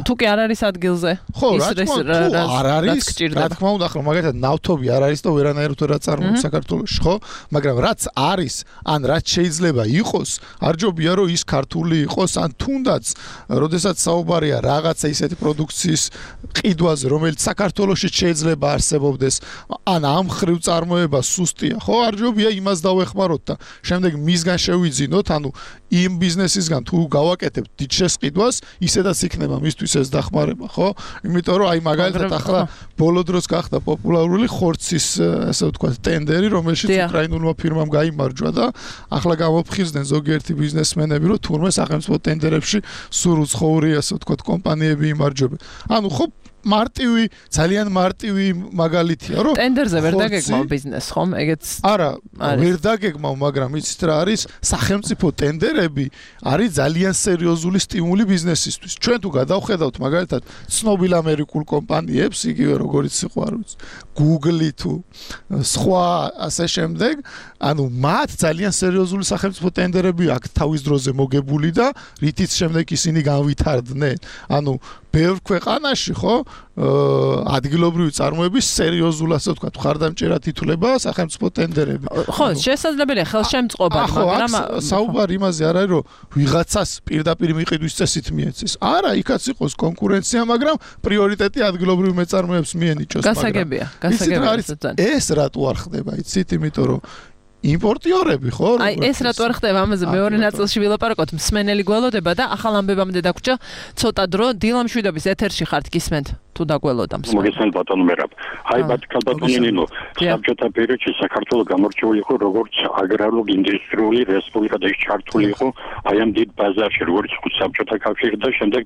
თუ კი არ არის ადგილზე, ხო, რა თქმა უნდა, არ არის, რა თქმა უნდა, ახლა მაგალითად ნავთობი არ არის და ვერანაირად ვერ აწარმოებს საქართველოში, ხო? მაგრამ რაც არის, ან რაც შეიძლება იყოს, არ ჯობია რომ ის ქართული იყოს, ან თუნდაც, როდესაც საუბარია რაღაცა ისეთი პროდუქციის ყიდვაზე, რომელიც საქართველოში შეიძლება არსებობდეს, ან ამ ხრივ წარმოება სუსტია, ხო? არ ჯობია იმას დავეხმაროთ და შემდეგ მისგან შევიძინოთ, ანუ იმ ბიზნესისგან თუ გავაკეთებთ დიდ შესყიდვას, ისედაც იქნება მისთვის ეს დახმარება, ხო? იმიტომ რომ აი მაგალითად ახლა ბოლო დროს გახდა პოპულარული ხორცის, ასე ვთქვათ, ტენდერი, რომელშიც უკრაინულმა ფირმამ გაიმარჯვა და ახლა გამოფხიზდნენ ზოგიერთი ბიზნესმენები, რომ თურმე სახელმწიფო ტენდერებში სულ უცხოური, ასე ვთქვათ, კომპანიები იმარჯვებენ. ანუ ხო მარტივი, ძალიან მარტივი მაგალითია, რომ ტენდერზე ვერ დაგეგმავ ბიზნესს, ხომ? ეგეც არა, ვერ დაგეგმავ, მაგრამ იცით რა არის, სახელმწიფო ტენდერები არის ძალიან სერიოზული სტიმული ბიზნესისთვის. ჩვენ თუ გადავხედავთ მაგალითად ცნობილ ამერიკულ კომპანიებს, იგივე როგორც იყო, არ ვიცი, Google თუ სხვა ასე შემდეგ, ანუ მათ ძალიან სერიოზული სახელმწიფო ტენდერები აქვს თავის დროზე მოგებული და რითიც შემდეგ ისინი განვითარდნენ. ანუ ბევრ ქვეყანაში, ხო, ადგილობრივი წარმოების სერიოზულ, ასე ვთქვათ, მხარდამჭერად ითვლება სახელმწიფო ტენდერები. ხო, შესაძლებელია ხელშემწყობა, მაგრამ საუბარი იმაზე არ არის, რომ ვიღაცას პირდაპირ მიყიდვის წესით მიეცეს. არა, იქაც იყოს კონკურენცია, მაგრამ პრიორიტეტი ადგილობრივ მეწარმეებს მიენიჭოს. გასაგებია, გასაგებია. ეს რატო არ ხდება, იცით, იმიტომ რომ იმპორტიორები ხო? აი ეს რატო არ ხდება ამაზე მეორე ნაწილში ვილაპარაკოთ, მსმენელი გველოდება და ახალ ამბებამდე დაგვრჩა ცოტა დრო. დილა მშვიდობის ეთერში ხართ, გისმენთ თუ დაგველოდა მსმენელი. მოგესალმებით ბატონო მერაბ. აი ბატონო ნინო, საბჭოთა პერიოდში საქართველოს გამორჩეული იყო როგორც აგრარულ-ინდუსტრიული რესპუბლიკა და ის ჩართული იყო აი ამ დიდ ბაზარში, როგორც საბჭოთა კავშირი და შემდეგ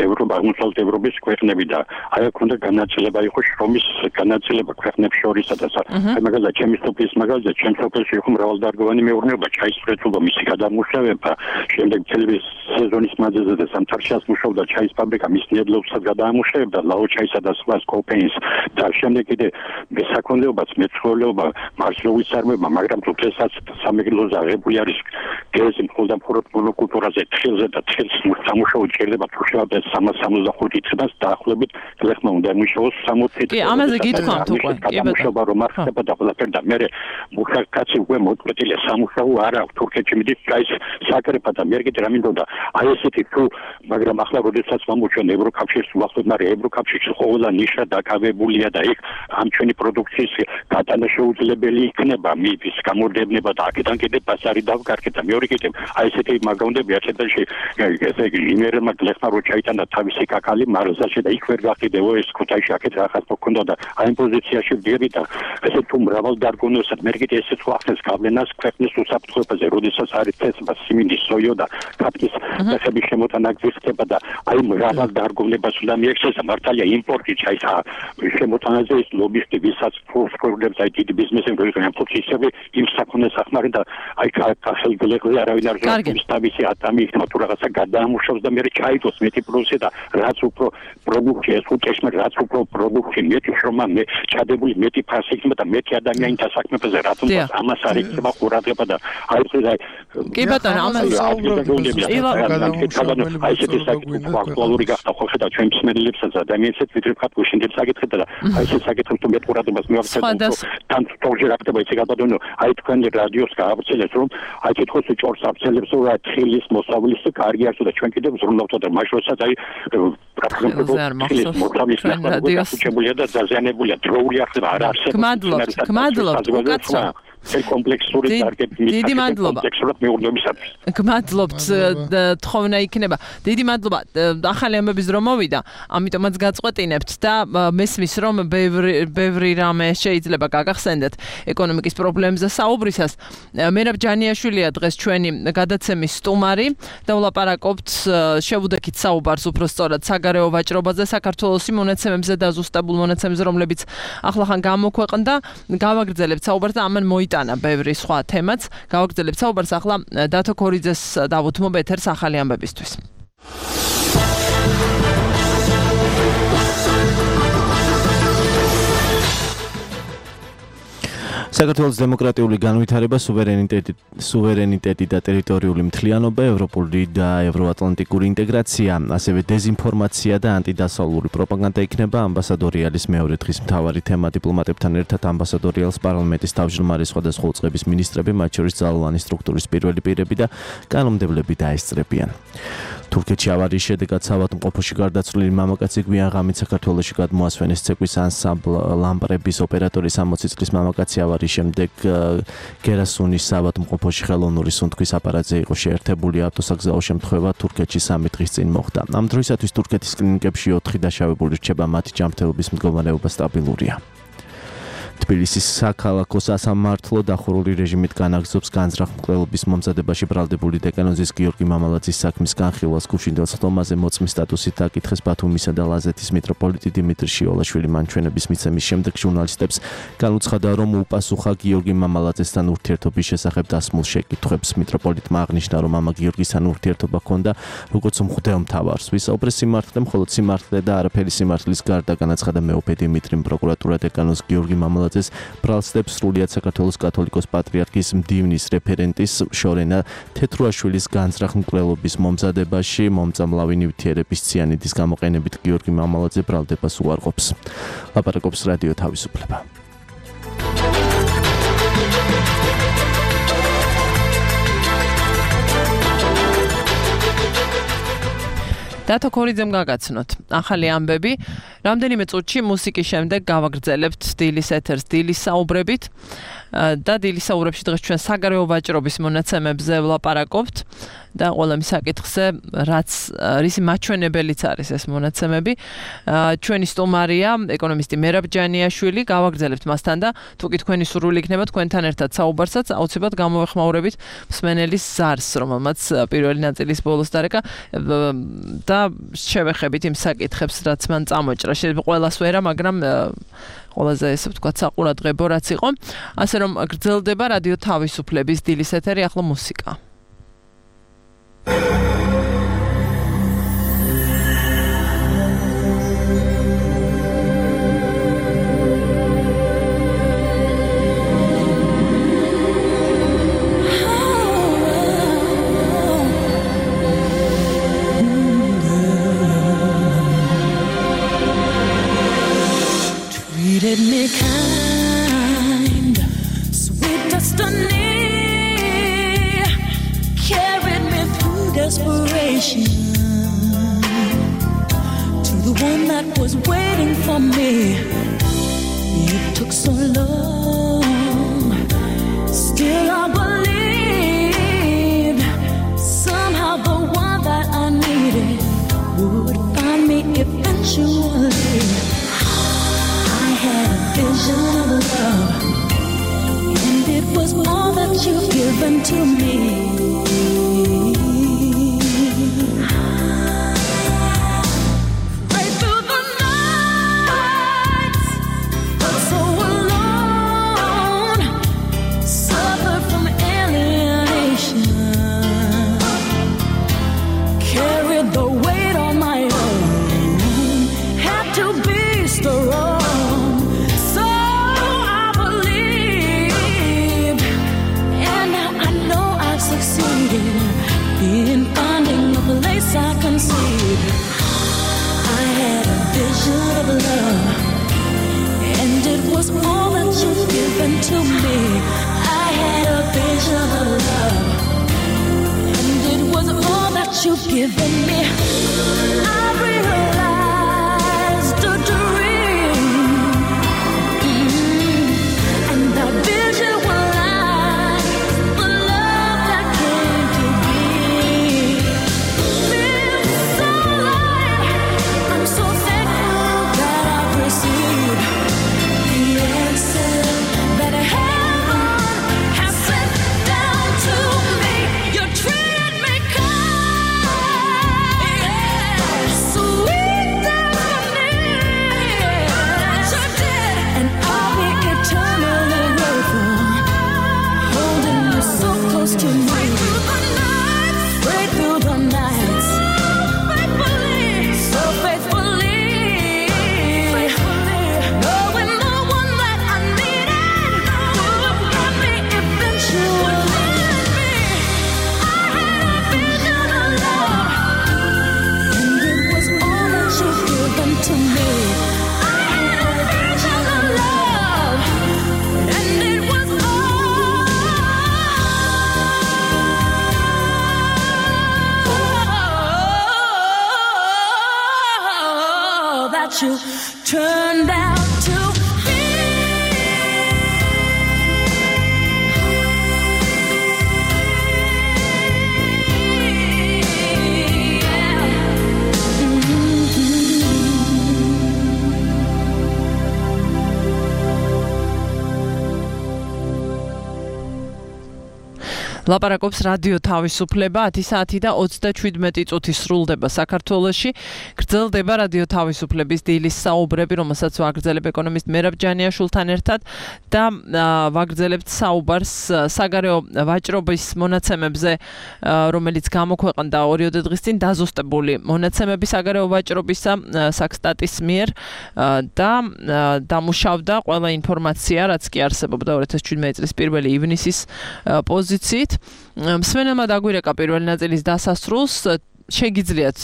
ევროპა, აღმოსავლეთ ევროპის ქვეყნები და აი აქ უნდა განაწილება იყო შრომის განაწილება ქვეყნებს შორისა და აი მაგალითად ჩემი სოფლის მაგალითად ჩემ სოფელში იყო მრავალდარგოვანი მეურნეობა, ჩაის მრეწველობა, მისი გადამუშავება, შემდეგ თელევის სეზონის მანძილზე და სამთარშიას მუშაობდა ჩაის ფაბრიკა, მის ნედლეულსაც გადაამუშავებდა, ლაო ჩაისა და სხვა კოპეინს და შემდეგ კიდე მესაქონლეობაც, მეცხოველეობა, მარცვლეულის წარმოება, მაგრამ თუნდაც სამეგრელოზე აღებული არის გეზი მხოლოდ მხოლოდ მონოკულტურაზე, თხილზე და თხილს სამუშაო ჭირდება თუშავდა სამას სამოცდახუთი წელს დაახლოებით ხლეხმა უნდა მუშაოს სამოცი წელი. კი, ამაზე გითხრათ უკვე. კი, მუშაობა რომ არ ხდება და ყველაფერი და მე მუშაკაცი უკვე მოწყვეტილია სამუშაო არ აქვს თურქეთში მიდის კაის საკრეფა და მე კიდე რა მინდოდა აი ესეთი თუ მაგრამ ახლა როდესაც მომუჩვენ ევროკავშირს უახლოდ მაგრამ ევროკავშირში ყველა ნიშა დაკავებულია და იქ ამ ჩვენი პროდუქციის გატანა შეუძლებელი იქნება მის გამოდევნება და აქედან კიდე ბაზარი დავკარგეთ და მეორე კიდე აი ესეთი მაგონდები აქედანში ესე იგი იმერმა გლეხმა რო ჩაიტანა თავისი კაკალი მარზაში და იქ ვერ გახიდეო ეს ქუთაისში აქეთ რაღაც მოკონდა და აი ამ პოზიციაში ვდირი და ესე თუ მრავალ დარგონოსად მე კიდე ესეც ახსენს გავლენას ქვეყნის უსაფრთხოებაზე, როდესაც არის წესება, სიმინდი, სოიო და კაპკის ფეხების შემოტანაგზის ხდება და აი მრავალ დარგოვნებას უნდა მიექცეს მართალია იმპორტი ჩაის შემოტანაზე ის ლობისტი ვისაც ფულსკროლებს აი დიდი ბიზნესები როიდან ფულს ისევე იმ საქონელს ახმარენ და აი ხელგლეხზე არავინ არ ზოგადად თავისი ატამი იქნება თუ რაღაცა გადაამუშავოს და მე ჩაიტოს მეტი პლუსი და რაც უფრო პროდუქტი ეს უწესმა რაც უფრო პროდუქტი მეტი შრომა მე ჩადებული მეტი ფასი იქნება და მეტი ადამიანთა საქმეებზე რა თქმა უნდა ამას არ იქნება ყურადღება და აი ეს აი კი ბატონო ამას აი ესეთი საკითხი აქტუალური გახდა ხო ხედავ ჩვენ მსმენელებსაც ადამიანებსაც ვიდრე ვქат გუშინდებს საკითხი და აი ეს საკითხი თუ მეტ ყურადღებას მივაქცევთ თან თორჯერ აქტება ისე გაბატონო აი თქვენ რადიოს გაავრცელებს რომ აი თვითონ ჭორს აბცელებს რომ აი თილის მოსავლის კარგი არც და ჩვენ კიდევ ზრუნავთ და მაშროცაც აი რადიოსებულია და დაზიანებულია დროული ახლა არ არსებობს გმადლობთ გმადლობთ უკაცრავ კომპლექსური ტარგეტი დიდი მადლობა კომპლექსურად მეურნეობისათვის გმადლობთ თხოვნა იქნება დიდი მადლობა ახალი ამბების რომ მოვიდა ამიტომაც გაწყვეტინებთ და მესმის რომ ბევრი ბევრი რამე შეიძლება გაგახსენდეთ ეკონომიკის პრობლემებზე საუბრისას მერაბ ჯანიაშვილია დღეს ჩვენი გადაცემის სტუმარი და ვლაპარაკობთ შევუდექით საუბარს უფრო სწორად საგარეო ვაჭრობაზე საქართველოს მონაცემებზე და ზუსტებულ მონაცემებზე რომლებიც ახლახან გამოქვეყნდა გავაგრძელებთ საუბარს და ამან მოი ტანა ბევრი სხვა თემაც. გავაგრძელებთ საუბარს ახლა დათო ქორიძეს დავუთმობ ეთერს ახალი ამბებისთვის. საქართველოს დემოკრატიული განვითარება, სუვერენიტეტი, სუვერენიტეტი და ტერიტორიული მთლიანობა, ევროპული და ევროატლანტიკური ინტეგრაცია, ასევე დეზინფორმაცია და ანტიდასავლური პროპაგანდა იქნება ამბასადორი ალის მეორე დღის მთავარი თემა. დიპლომატებთან ერთად ამბასადორი ალს პარლამენტის თავმჯდომარე სხვადასხვა წყების მინისტრები, მათ შორის ძალოვანი სტრუქტურის პირველი პირები და კანონმდებლები დაესწრებიან. თურქეთში ავარიის შედეგად საავადმყოფოში გარდაცვლილი მამაკაცი გვიან ღამით საქართველოში გადმოასვენეს ცეკვის ანსამბლ ლამპრების ოპერატორის სამოცი წლის მამაკაცი ავარიის შემდეგ გერასუნის საავადმყოფოში ხელოვნური სუნთქვის აპარატზე იყო შეერთებული. ავტოსაგზაო შემთხვევა თურქეთში სამი დღის წინ მოხდა. ამ დროისათვის თურქეთის კლინიკებში ოთხი დაშავებული რჩება, მათი ჯანმრთელობის მდგომარეობა სტაბილურია. თბილისის საქალაქო სასამართლო დახურული რეჟიმით განაგრძობს განზრახ მკვლელობის მომზადებაში ბრალდებული დეკანოზის გიორგი მამალაძის საქმის განხილვას. გუშინდელ სხდომაზე მოწმის სტატუსით აკითხეს ბათუმისა და ლაზეთის მიტროპოლიტი დიმიტრი შიოლაშვილი. მან ჩვენების მიცემის შემდეგ ჟურნალისტებს განუცხადა, რომ უპასუხა გიორგი მამალაძესთან ურთიერთობის შესახებ დასმულ შეკითხვებს. მიტროპოლიტმა აღნიშნა, რომ მამა გიორგისთან ურთიერთობა ჰქონდა როგორც მღვდელმთავარს. ვისაუბრეს სიმართლე, მხოლოდ სიმართლე და არაფერი სიმართლის გარდა, განაცხადა მეუფე დიმიტრიმ. პროკურატურა დეკანოზ გიორგი მამალაძეს ბრალსდებს სრულიად საქართველოს კათოლიკოს პატრიარქის მდივნის რეფერენტის შორენა თეთრუაშვილის განზრახ მკვლელობის მომზადებაში. მომწამლავი ნივთიერების ციანიდის გამოყენებით გიორგი მამალაძე ბრალდებას უარყოფს. ლაპარაკობს რადიო თავისუფლება. დათო ქორიძემ გაგაცნოთ ახალი ამბები. რამდენიმე წუთში მუსიკის შემდეგ გავაგრძელებთ დილის ეთერს დილის საუბრებით და დილის საუბრებში დღეს ჩვენ საგარეო ვაჭრობის მონაცემებზე ვლაპარაკობთ და ყველა მის საკითხზე რაც რისი მაჩვენებელიც არის ეს მონაცემები. ჩვენი სტუმარია ეკონომისტი მერაბ ჯანიაშვილი. გავაგრძელებთ მასთან და თუ კი თქვენი სურვილი იქნება თქვენთან ერთად საუბარსაც აუცილებლად გამოვეხმაურებით მსმენელის ზარს, რომელმაც პირველი ნაწილის ბოლოს დარეკა და შევეხებით იმ საკითხებს, რაც მან წამოჭრა. შეიძლება ყველას ვერა, მაგრამ ყველაზე ესე ვთქვათ საყურადღებო რაც იყო. ასე რომ გრძელდება რადიო თავისუფლების დილის ეთერი, ახლა მუსიკა. Treated me kind, sweet destiny, carried me through desperation to the one that was waiting for me. It took so long, still I believed somehow the one that I needed would find me eventually. I had a vision of love, and it was all that you've given to me. giving me. I realized a dream, mm, and I visualized the love that came to be. Feels so light. I'm so thankful that I've received the answer that heaven has sent down to me. You treated me kind, sweet destiny. You did, and I'll be eternally grateful. Holding you so close to me. Right through the nights, faithfully, so faithfully, knowing the one that I needed would find me eventually. I had a vision of love, and it was all that you've given to me. I had a vision of love, and it was all that you turned out to be. ლაპარაკობს რადიო თავისუფლება ათი საათი და ოცდაშვიდმეტი წუთი სრულდება საქართველოში. გრძელდება რადიო თავისუფლების დილის საუბრები, რომელსაც ვაგრძელებ ეკონომისტ მერაბ ჯანიაშვილთან ერთად და ვაგრძელებთ საუბარს საგარეო ვაჭრობის მონაცემებზე, რომელიც გამოქვეყნდა ორიოდე დღის წინ დაზუსტებული მონაცემები საგარეო ვაჭრობისა საქსტატის მიერ და დამუშავდა ყველა ინფორმაცია, რაც კი არსებობდა ორი ათას შვიდმეტი წლის პირველი ივნისის პოზიციით. მსმენელმა დაგვირეკა პირველი ნაწილის დასასრულს, შეგიძლიათ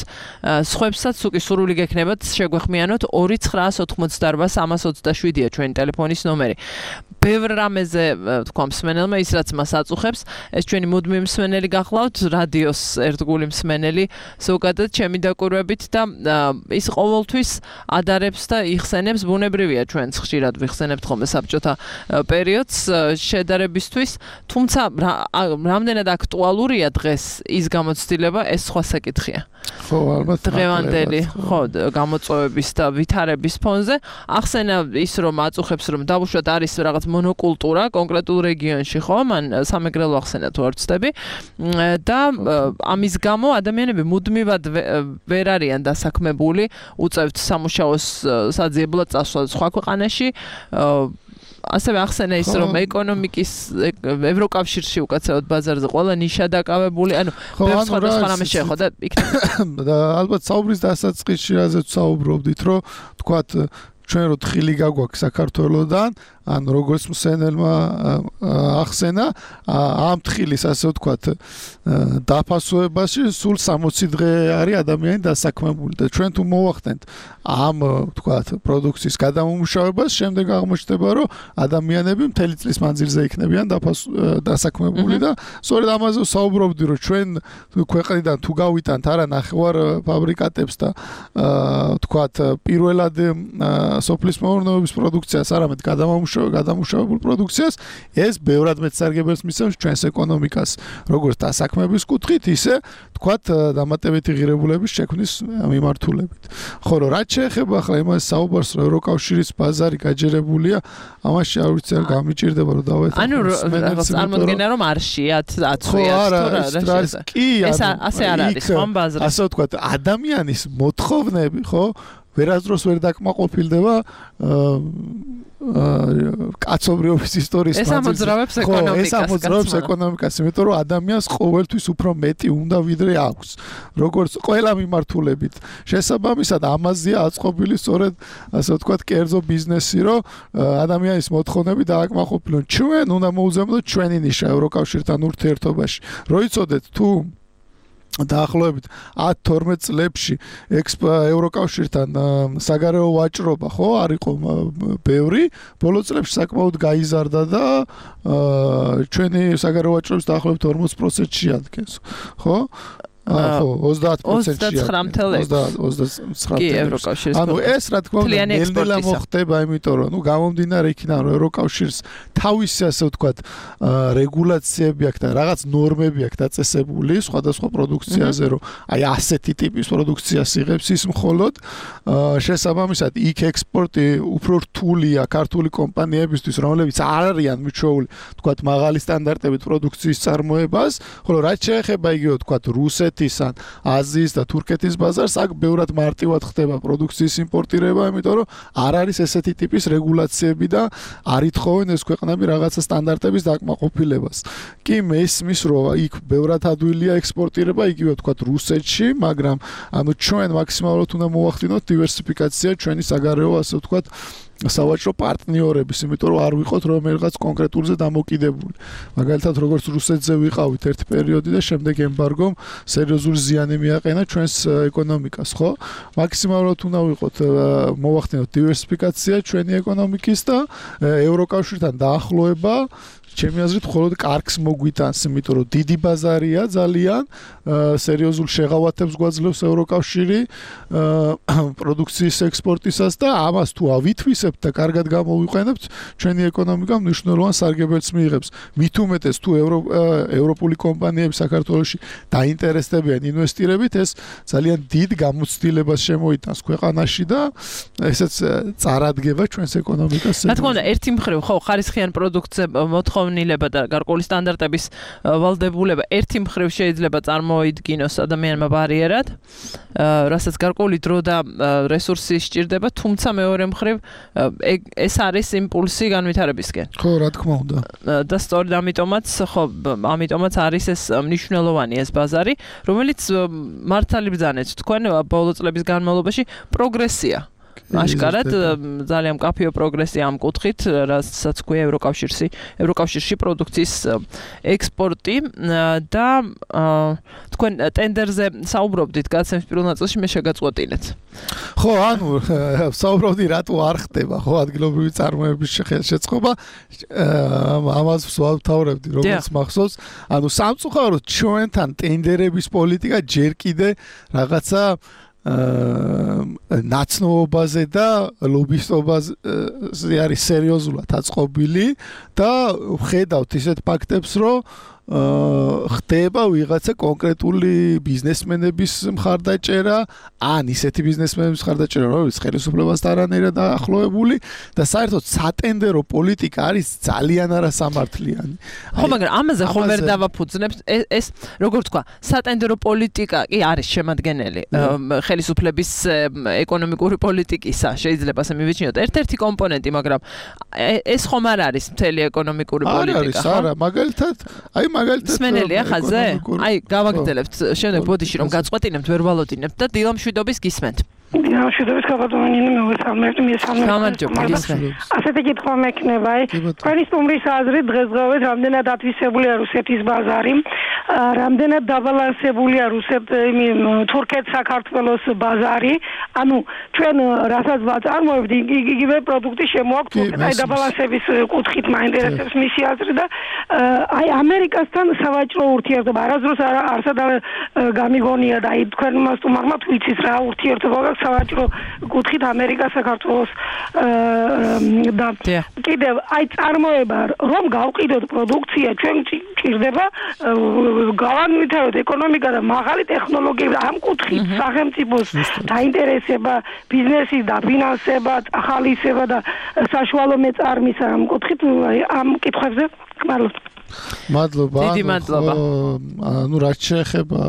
სხვებსაც უკვე სურვილი გექნებათ შეგვეხმიანოთ ორი ცხრაას ოთხმოცდაორბა სამას ოცდაშვიდია ჩვენი ტელეფონის ნომერი. ბევრ რამეზე თქვა მსმენელმა ის რაც მას აწუხებს, ეს ჩვენი მუდმივი მსმენელი გახლავთ, რადიოს ერთგული მსმენელი ზოგადად ჩემი დაკვირვებით და ის ყოველთვის ადარებს და იხსენებს, ბუნებრივია ჩვენც ხშირად ვიხსენებთ ხოლმე საბჭოთა პერიოდს შედარებისთვის, თუმცა რამდენად აქტუალურია დღეს ის გამოცდილება, ეს სხვა საკითხია. ხო, ალბათ დღევანდელი ხო გამოწვევების და ვითარების ფონზე ახსენა ის რომ აწუხებს რომ დავუშვათ არის რაღაც მონოკულტურა კონკრეტულ რეგიონში, ხო, მან სამეგრელო ახსენა თუ არ ვცდები და ამის გამო ადამიანები მუდმივად ვერ არიან დასაქმებული უწევთ სამუშაოს საძიებლად წასვლა სხვა ქვეყანაში. ასევე ახსენა ის რომ ეკონომიკის ევროკავშირში უკაცრავად ბაზარზე ყველა ნიშა დაკავებული, ანუ ბევრ სხვადასხვა რამე შეეხო და იქნება და ალბათ საუბრის დასაწყისში რაზეც საუბრობდით, რომ თქვათ ჩვენ რო თხილი გაგვაქვს საქართველოსდან, ან როგორც მსენელმა ახსენა, ამ თხილის ასე ვთქვათ დაფასებაში სულ სამოცი დღე არის ადამიანი დასაქმებული და ჩვენ თუ მოვახდენთ ამ ვთქვათ პროდუქციის გადამომუშავებას, შემდეგ აღმოჩნდება რომ ადამიანები მთელი წლის მანძილზე იქნებიან დასაქმებული და სწორედ ამაზე საუბრობდი რომ ჩვენ ქვეყნიდან თუ გავიტანთ არა ნახევარ ფაბრიკატებს და ვთქვათ პირველად სოფლის მეურნეობის პროდუქციას, არამედ გადამამუშავებელ გადამუშავებულ პროდუქციას, ეს ბევრად მეტ სარგებელს მისცემს ჩვენს ეკონომიკას, როგორც დასაქმების კუთხით, ისე თქვათ დამატებითი ღირებულების შექმნის მიმართულებით. ხო, რომ რაც შეეხება ახლა იმას საუბარს, რომ ევროკავშირის ბაზარი გაჯერებულია, ამაში არ ვიცი არ გამიჭირდება რომ დავეთანხმო. ანუ რაღაც წარმოდგენა რომ არ შეათ აწვიათ თუ რა კი, ეს ასე არ არის ხომ ბაზარი. ასე ვთქვათ, ადამიანის მოთხოვნები, ხო? ვერასდროს ვერ დაკმაყოფილდება კაცობრიობის ისტორიის მანძილზე. ეს ამოძრავებს ეკონომიკას. ეს ამოძრავებს ეკონომიკას, იმიტომ რომ ადამიანს ყოველთვის უფრო მეტი უნდა ვიდრე აქვს. როგორც ყველა მიმართულებით. შესაბამისად ამაზეა აწყობილი სწორედ ასე ვთქვათ კერძო ბიზნესი, რომ ადამიანის მოთხოვნები დააკმაყოფილონ. ჩვენ უნდა მოუზემოთ ჩვენი ნიშა ევროკავშირთან ურთიერთობაში. რო იცოდეთ თუ დაახლოებით ათ თორმეტ წლებში ევროკავშირთან საგარეო ვაჭრობა ხო არ იყო ბევრი, ბოლო წლებში საკმაოდ გაიზარდა და ჩვენი საგარეო ვაჭრობის დაახლოებით ორმოც პროცენტში ადგენს, ხო? ხო, ოცდაათ პროცენტია. ოცდათხრამი კი ევროკავშირის. ანუ ეს რა თქმა უნდა ნელ-ნელა მოხდება, იმიტომ რომ ნუ გამომდინარე იქიდან რომ ევროკავშირს თავისი ასე ვთქვათ რეგულაციები აქვს და რაღაც ნორმები აქვს დაწესებული სხვადასხვა პროდუქციაზე, რომ აი ასეთი ტიპის პროდუქციას იღებს ის მხოლოდ შესაბამისად იქ ექსპორტი უფრო რთულია ქართული კომპანიებისთვის, რომლებიც არ არიან მიჩვეული, ვთქვათ, მაღალი სტანდარტებით პროდუქციის წარმოებას, ხოლო რაც შეეხება იგივე ვთქვათ რუსეთის ან აზიის და თურქეთის ბაზარს, აქ ბევრად მარტივად ხდება პროდუქციის იმპორტირება, იმიტომ რომ არ არის ესეთი ტიპის რეგულაციები და არ ითხოვენ ეს ქვეყნები რაღაცა სტანდარტების დაკმაყოფილებას. კი მესმის რომ იქ ბევრად ადვილია ექსპორტირება, იგივე ვთქვათ რუსეთში, მაგრამ ანუ ჩვენ მაქსიმალურად უნდა მოვახდინოთ დივერსიფიკაცია ჩვენი საგარეო ასე ვთქვათ სავაჭრო პარტნიორების, იმიტომ რომ არ ვიყოთ რომელიღაც კონკრეტულზე დამოკიდებული. მაგალითად, როგორც რუსეთზე ვიყავით ერთ პერიოდი და შემდეგ ემბარგომ სერიოზული ზიანი მიაყენა ჩვენს ეკონომიკას, ხო? მაქსიმალურად უნდა ვიყოთ მოვახდინოთ დივერსიფიკაცია ჩვენი ეკონომიკის და ევროკავშირთან დაახლოება ჩემი აზრით მხოლოდ კარგს მოგვიტანს, იმიტომ რომ დიდი ბაზარია ძალიან, სერიოზულ შეღავათებს გვაძლევს ევროკავშირი პროდუქციის ექსპორტისას და ამას თუ ავითვისებთ და კარგად გამოვიყენებთ, ჩვენი ეკონომიკა მნიშვნელოვან სარგებელს მიიღებს. მით უმეტეს თუ ევროპული კომპანიები საქართველოში დაინტერესდებიან ინვესტირებით, ეს ძალიან დიდ გამოცდილებას შემოიტანს ქვეყანაში და ესეც წარადგება ჩვენს ეკონომიკას. რა თქმა უნდა, ერთი მხრივ ხო ხარისხიან პროდუქტზე მოთხოვნილება და გარკვეული სტანდარტების ვალდებულება ერთი მხრივ შეიძლება წარმოიდგინოს ადამიანმა ბარიერად, რასაც გარკვეული დრო და რესურსი სჭირდება, თუმცა მეორე მხრივ ეს არის იმპულსი განვითარებისკენ. ხო, რა თქმა უნდა. და სწორედ ამიტომაც, ხო, ამიტომაც არის ეს მნიშვნელოვანი ეს ბაზარი, რომელიც მართალი ბრძანეთ თქვენ ბოლო წლების განმავლობაში პროგრესია. აშკარად ძალიან მკაფიო პროგრესია ამ კუთხით, რასაც ქვია ევროკავშირში, ევროკავშირში პროდუქციის ექსპორტი და თქვენ ტენდერზე საუბრობდით გაცემის პირველ ნაწილში, მე შეგაწყვეტინეთ. ხო, ანუ საუბრობდი რატო არ ხდება, ხო, ადგილობრივი წარმოების შეწყობა, ამას ვსვავთავრებდი, როგორც მახსოვს, ანუ სამწუხაროდ ჩვენთან ტენდერების პოლიტიკა ჯერ კიდე რაღაცა ნაცნობაზე და ლობისტობაზე არის სერიოზულად აწყობილი და ვხედავთ ისეთ ფაქტებს, რომ ხდება ვიღაცა კონკრეტული ბიზნესმენების მხარდაჭერა, ან ისეთი ბიზნესმენების მხარდაჭერა, რომელიც ხელისუფლებას არანაირად დაახლოებული და საერთოდ სატენდერო პოლიტიკა არის ძალიან არასამართლიანი. ხო, მაგრამ ამაზე ხომ ვერ დავაფუძნებთ, ეს როგორ თქვა, სატენდერო პოლიტიკა კი არის შემადგენელი ხელისუფლების ეკონომიკური პოლიტიკისა, შეიძლება ასე მივიჩნიოთ, ერთ-ერთი კომპონენტი, მაგრამ ეს ხომ არ არის მთელი ეკონომიკური პოლიტიკა, ხო? არა, მაგალითად, აი სმენელია ხაზზე? აი, გავაგრძელებთ შემდეგ ბოდიში რომ გაწყვეტინებთ, ვერ ვალოდინებთ და დილა მშვიდობის გისმენთ. დილა მშვიდობის გაბატონინი მოგესალმებთ, მისამნებთ. გამარჯობა, გისმენთ. ასეთი კითხვა მექნება, აი, თქვენი სტუმრის აზრით დღესდღეობით რამდენად ათვისებულია რუსეთის ბაზარი, რამდენად დაბალანსებულია რუსეთ, თურქეთ საქართველოს ბაზარი, ანუ ჩვენ რასაც ვაწარმოებთ, იგივე პროდუქტი შემოაქვთ თურქეთ, აი დაბალანსების კუთხით მაინტერესებს მისი აზრი და აი ამერიკასთან სავაჭრო ურთიერთობა არასდროს არსად გამიგონია და აი თქვენმა სტუმარმა თუ იცით რა ურთიერთობა გაქვს სავაჭრო კუთხით ამერიკას საქართველოს და კიდევ აი წარმოება რომ გავყიდოთ პროდუქცია ჩვენ ჭირდება გავანვითაროთ ეკონომიკა და მაღალი ტექნოლოგიები ამ კუთხით სახელმწიფოს დაინტერესება ბიზნესის დაფინანსება ახალისება და საშუალო მეწარმის ამ კუთხით ამ კითხვებზე გმადლობთ. მადლობა. დიდი მადლობა. ანუ რაც შეეხება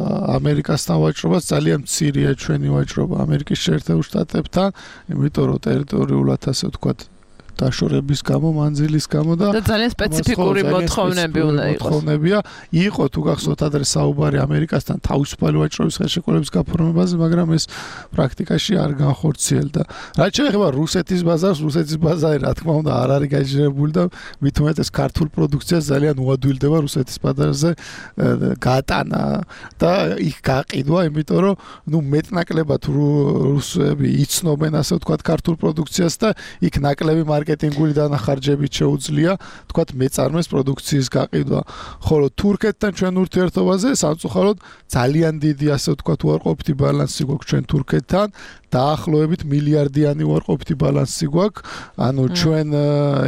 ამერიკასთან ვაჭრობას, ძალიან მცირეა ჩვენი ვაჭრობა ამერიკის შეერთებულ შტატებთან, იმიტომ რომ ტერიტორიულად ასე ვთქვათ დაშორების გამო, მანძილის გამო და ძალიან სპეციფიკური მოთხოვნები უნდა იყოს. მოთხოვნებია. იყო თუ გახსოვთ ადრე საუბარი ამერიკასთან თავისუფალი ვაჭრობის ხელშეკრულების გაფორმებაზე, მაგრამ ეს პრაქტიკაში არ განხორციელდა. რაც შეეხება რუსეთის ბაზარს, რუსეთის ბაზარი რა თქმა უნდა არ არის გაჟღერებული და მით უმეტეს ქართულ პროდუქციას ძალიან უადვილდება რუსეთის ბაზარზე გატანა და იქ გაყიდვა, იმიტომ რომ ნუ მეტნაკლებად რუსები იცნობენ ასე ვთქვათ ქართულ პროდუქციას და იქ ნაკლები მარკეტინგული დანახარჯებით შეუძლია თქვათ მეწარმეს პროდუქციის გაყიდვა. ხოლო თურქეთთან ჩვენ ურთიერთობაზე სამწუხაროდ ძალიან დიდი ასე ვთქვათ უარყოფითი ბალანსი გვაქვს ჩვენ თურქეთთან. დაახლოებით მილიარდიანი უარყოფითი ბალანსი გვაქვს. ანუ ჩვენ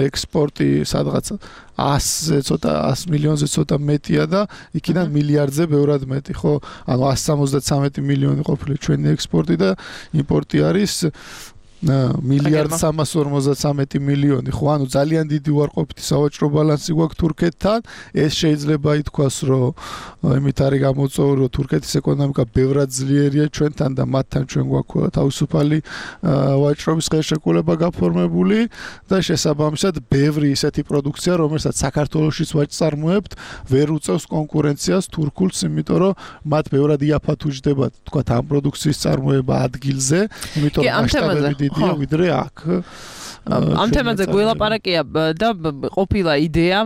ექსპორტი სადღაც ას ცოტა ას მილიონზე ცოტა მეტია და იქიდან მილიარდზე ბევრად მეტი, ხო? ანუ ას სამოცდათრამეტი მილიონი ყოფილი ჩვენი ექსპორტი და იმპორტი არის მილიარდ სამას ორმოცდათრამეტი მილიონი, ხო? ანუ ძალიან დიდი უარყოფითი სავაჭრო ბალანსი გვაქვს თურქეთთან. ეს შეიძლება ითქვას, რომ იმით არის გამოწვეული, რომ თურქეთის ეკონომიკა ბევრად ძლიერია ჩვენთან და მათთან ჩვენ გვაქვს თავისუფალი ვაჭრობის ხელშეკრულება გაფორმებული და შესაბამისად ბევრი ისეთი პროდუქცია, რომელსაც საქართველოშიც ვაწარმოებთ, ვერ უწევს კონკურენციას თურქულს, იმიტომ რომ მათ ბევრად იაფად უჯდება, თქვათ, ამ პროდუქციის წარმოება ადგილზე, იმიტომ რომ მასშტაბები ვიდრე აქ. ამ თემაზე გველაპარაკია და ყოფილა იდეა,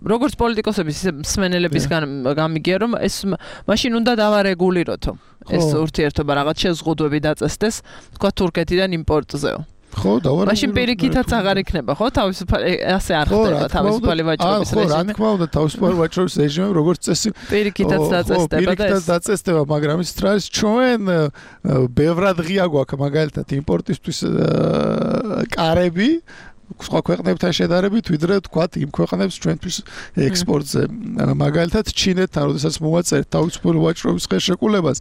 როგორც პოლიტიკოსების მსმენელებისგან გამიგია, რომ ეს მაშინ უნდა დავარეგულიროთო. ეს ურთიერთობა რაღაც შეზღუდვები დაწესდეს, თქვა თურქეთიდან იმპორტზეო. ხო, დავარ. მაშინ პირიქითაც აღარ იქნება, ხო? თავისუფალი ასე არ ხდება თავისუფალი ვაჭრობის რეჟიმი. ხო, რა თქმა უნდა, თავისუფალი ვაჭრობის რეჟიმი როგორც წესი პირიქითაც დაწესდება და პირიქითაც დაწესდება, მაგრამ ის თრას ჩვენ ბევრად ღია გვაქვს მაგალითად იმპორტისთვის კარები სხვა ქვეყნებთან შედარებით, ვიდრე თქვათ იმ ქვეყნებს ჩვენთვის ექსპორტზე. მაგალითად ჩინეთთან, როდესაც მოვაწერთ თავისუფალი ვაჭრობის ხელშეკრულებას,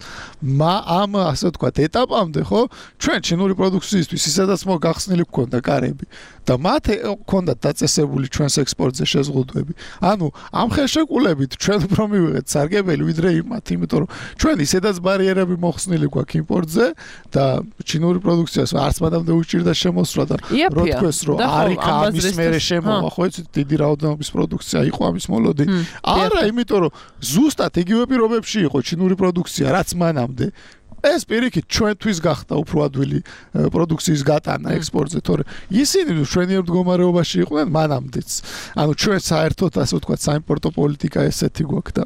ამ ასე ვთქვათ ეტაპამდე, ხო, ჩვენ ჩინური პროდუქციისთვის ისედაც მოგახსნილი გქონდა კარები და მათ გქონდათ დაწესებული ჩვენს ექსპორტზე შეზღუდვები. ანუ ამ ხელშეკრულებით ჩვენ უფრო მივიღეთ სარგებელი ვიდრე იმათ, იმიტომ რომ ჩვენ ისედაც ბარიერები მოხსნილი გვაქვს იმპორტზე და ჩინური პროდუქციას არც მანამდე უჭირდა შემოსვლა და რო თქვეს რომ არიქა ამის მერე შემოვა, ხო იცით, დიდი რაოდენობის პროდუქცია იყო ამის მოლოდი. არა, იმიტომ რომ ზუსტად იგივე პირობებში იყო ჩინური პროდუქცია, რაც მანამდე. ეს პირიქით ჩვენთვის გახდა უფრო ადვილი პროდუქციის გატანა ექსპორტზე, თორე ისინი ჩვენიერ მდგომარეობაში იყვნენ მანამდეც. ანუ ჩვენ საერთოდ ასე ვთქვათ საიმპორტო პოლიტიკა ესეთი გვაქვს და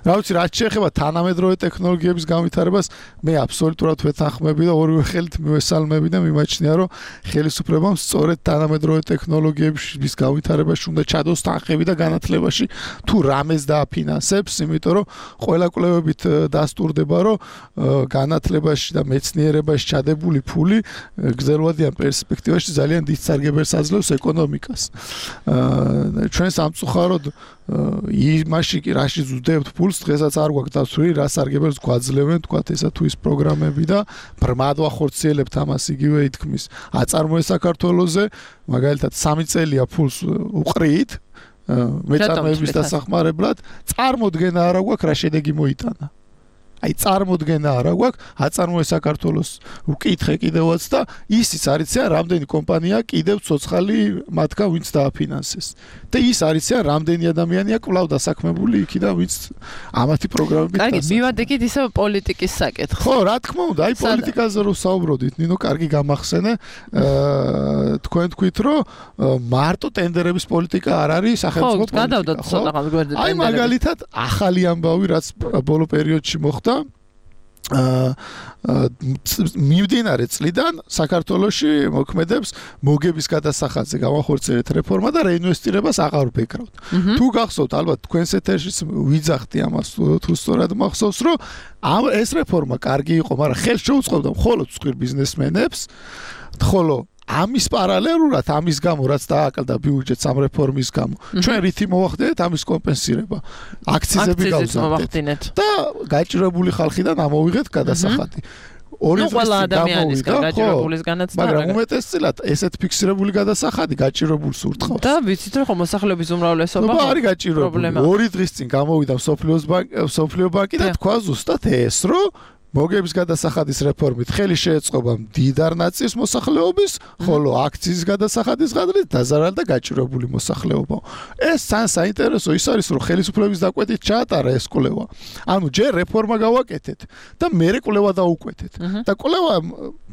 რა ვიცი, რაც შეეხება თანამედროვე ტექნოლოგიების განვითარებას, მე აბსოლუტურად ვეთანხმები და ორივე ხელით მივესალმები და მიმაჩნია, რომ ხელისუფლებამ სწორედ თანამედროვე ტექნოლოგიების განვითარებაში უნდა ჩადოს თანხები და განათლებაში თუ რამეს დააფინანსებს, იმიტომ რომ ყველა კვლევებით დასტურდება, რომ განათლებაში და მეცნიერებაში ჩადებული ფული გრძელვადიან პერსპექტივაში ძალიან დიდ სარგებელს აძლევს ეკონომიკას. ჩვენ სამწუხაროდ იმაში კი რაში ვძლებთ ფულს, დღესაც არ გვაქვს დაცული, რა სარგებელს გვაძლევენ, თქვათ ესა თუ ის პროგრამები და ბრმად ვახორციელებთ ამას იგივე ითქმის. აწარმოე საქართველოზე, მაგალითად სამი წელია ფულს უყრით მეწარმეების დასახმარებლად, წარმოდგენა არა გვაქვს რა შედეგი მოიტანა. აი წარმოდგენა არა გვაქვს, აწარმოე საქართველოს უკითხე კიდევაც და ისიც არიციან რამდენი კომპანია კიდევ ცოცხალი მათგან ვინც დააფინანსეს. და ის არიციან რამდენი ადამიანია კვლავ დასაქმებული იქიდან ვინც ამათი პროგრამებით კარგი, მივადეკით ისევ პოლიტიკის საკითხს. ხო, რა თქმა უნდა, აი პოლიტიკაზე რო საუბრობდით, ნინო, კარგი გამახსენე, თქვენ თქვით, რომ მარტო ტენდერების პოლიტიკა არ არის სახელმწიფო პოლიტიკა. ხო, გადავდოთ ცოტა გვერდით ტენდერები. აი მაგალითად ახალი ამბავი, რაც ბოლო პერიოდში მოხდა მიმდინარე წლიდან საქართველოში მოქმედებს მოგების გადასახადზე გამახორციელეთ რეფორმა და რეინვესტირებას აღარ ვფიქრავთ. თუ გახსოვთ, ალბათ თქვენს ეთერშიც ვიძახდი ამას, თუ სწორად მახსოვს, რომ ამ ეს რეფორმა კარგი იყო, მაგრამ ხელს შეუწყობდა მხოლოდ მსხვილ ბიზნესმენებს, ხოლო ამის პარალელურად ამის გამო რაც დააკლდა ბიუჯეტს ამ რეფორმის გამო ჩვენ რითი მოვახდინეთ ამის კომპენსირება აქციზები გავზარდეთ და გაჭირებული ხალხიდან ამოვიღეთ გადასახადი ორი ყველა ადამიანისგან გაჭირებულისგანაც და მაგრამ უმეტესწილად ესეთ ფიქსირებული გადასახადი გაჭირებულს ურტყავს და ვიცით რომ მოსახლეობის უმრავლესობა არის გაჭირებული ორი დღის წინ გამოვიდა სოფლიოს ბანკი სოფლიო ბანკი და თქვა ზუსტად ეს რომ მოგების გადასახადის რეფორმით ხელი შეეწყობა მდიდარ ნაწილს მოსახლეობის, ხოლო აქციის გადასახადის გადრით დაზარალდა გაჭირებული მოსახლეობა. ეს ძალიან საინტერესო ის არის, რომ ხელისუფლების დაკვეთით ჩაატარა ეს კვლევა. ანუ ჯერ რეფორმა გავაკეთეთ და მერე კვლევა დაუკვეთეთ. და კვლევა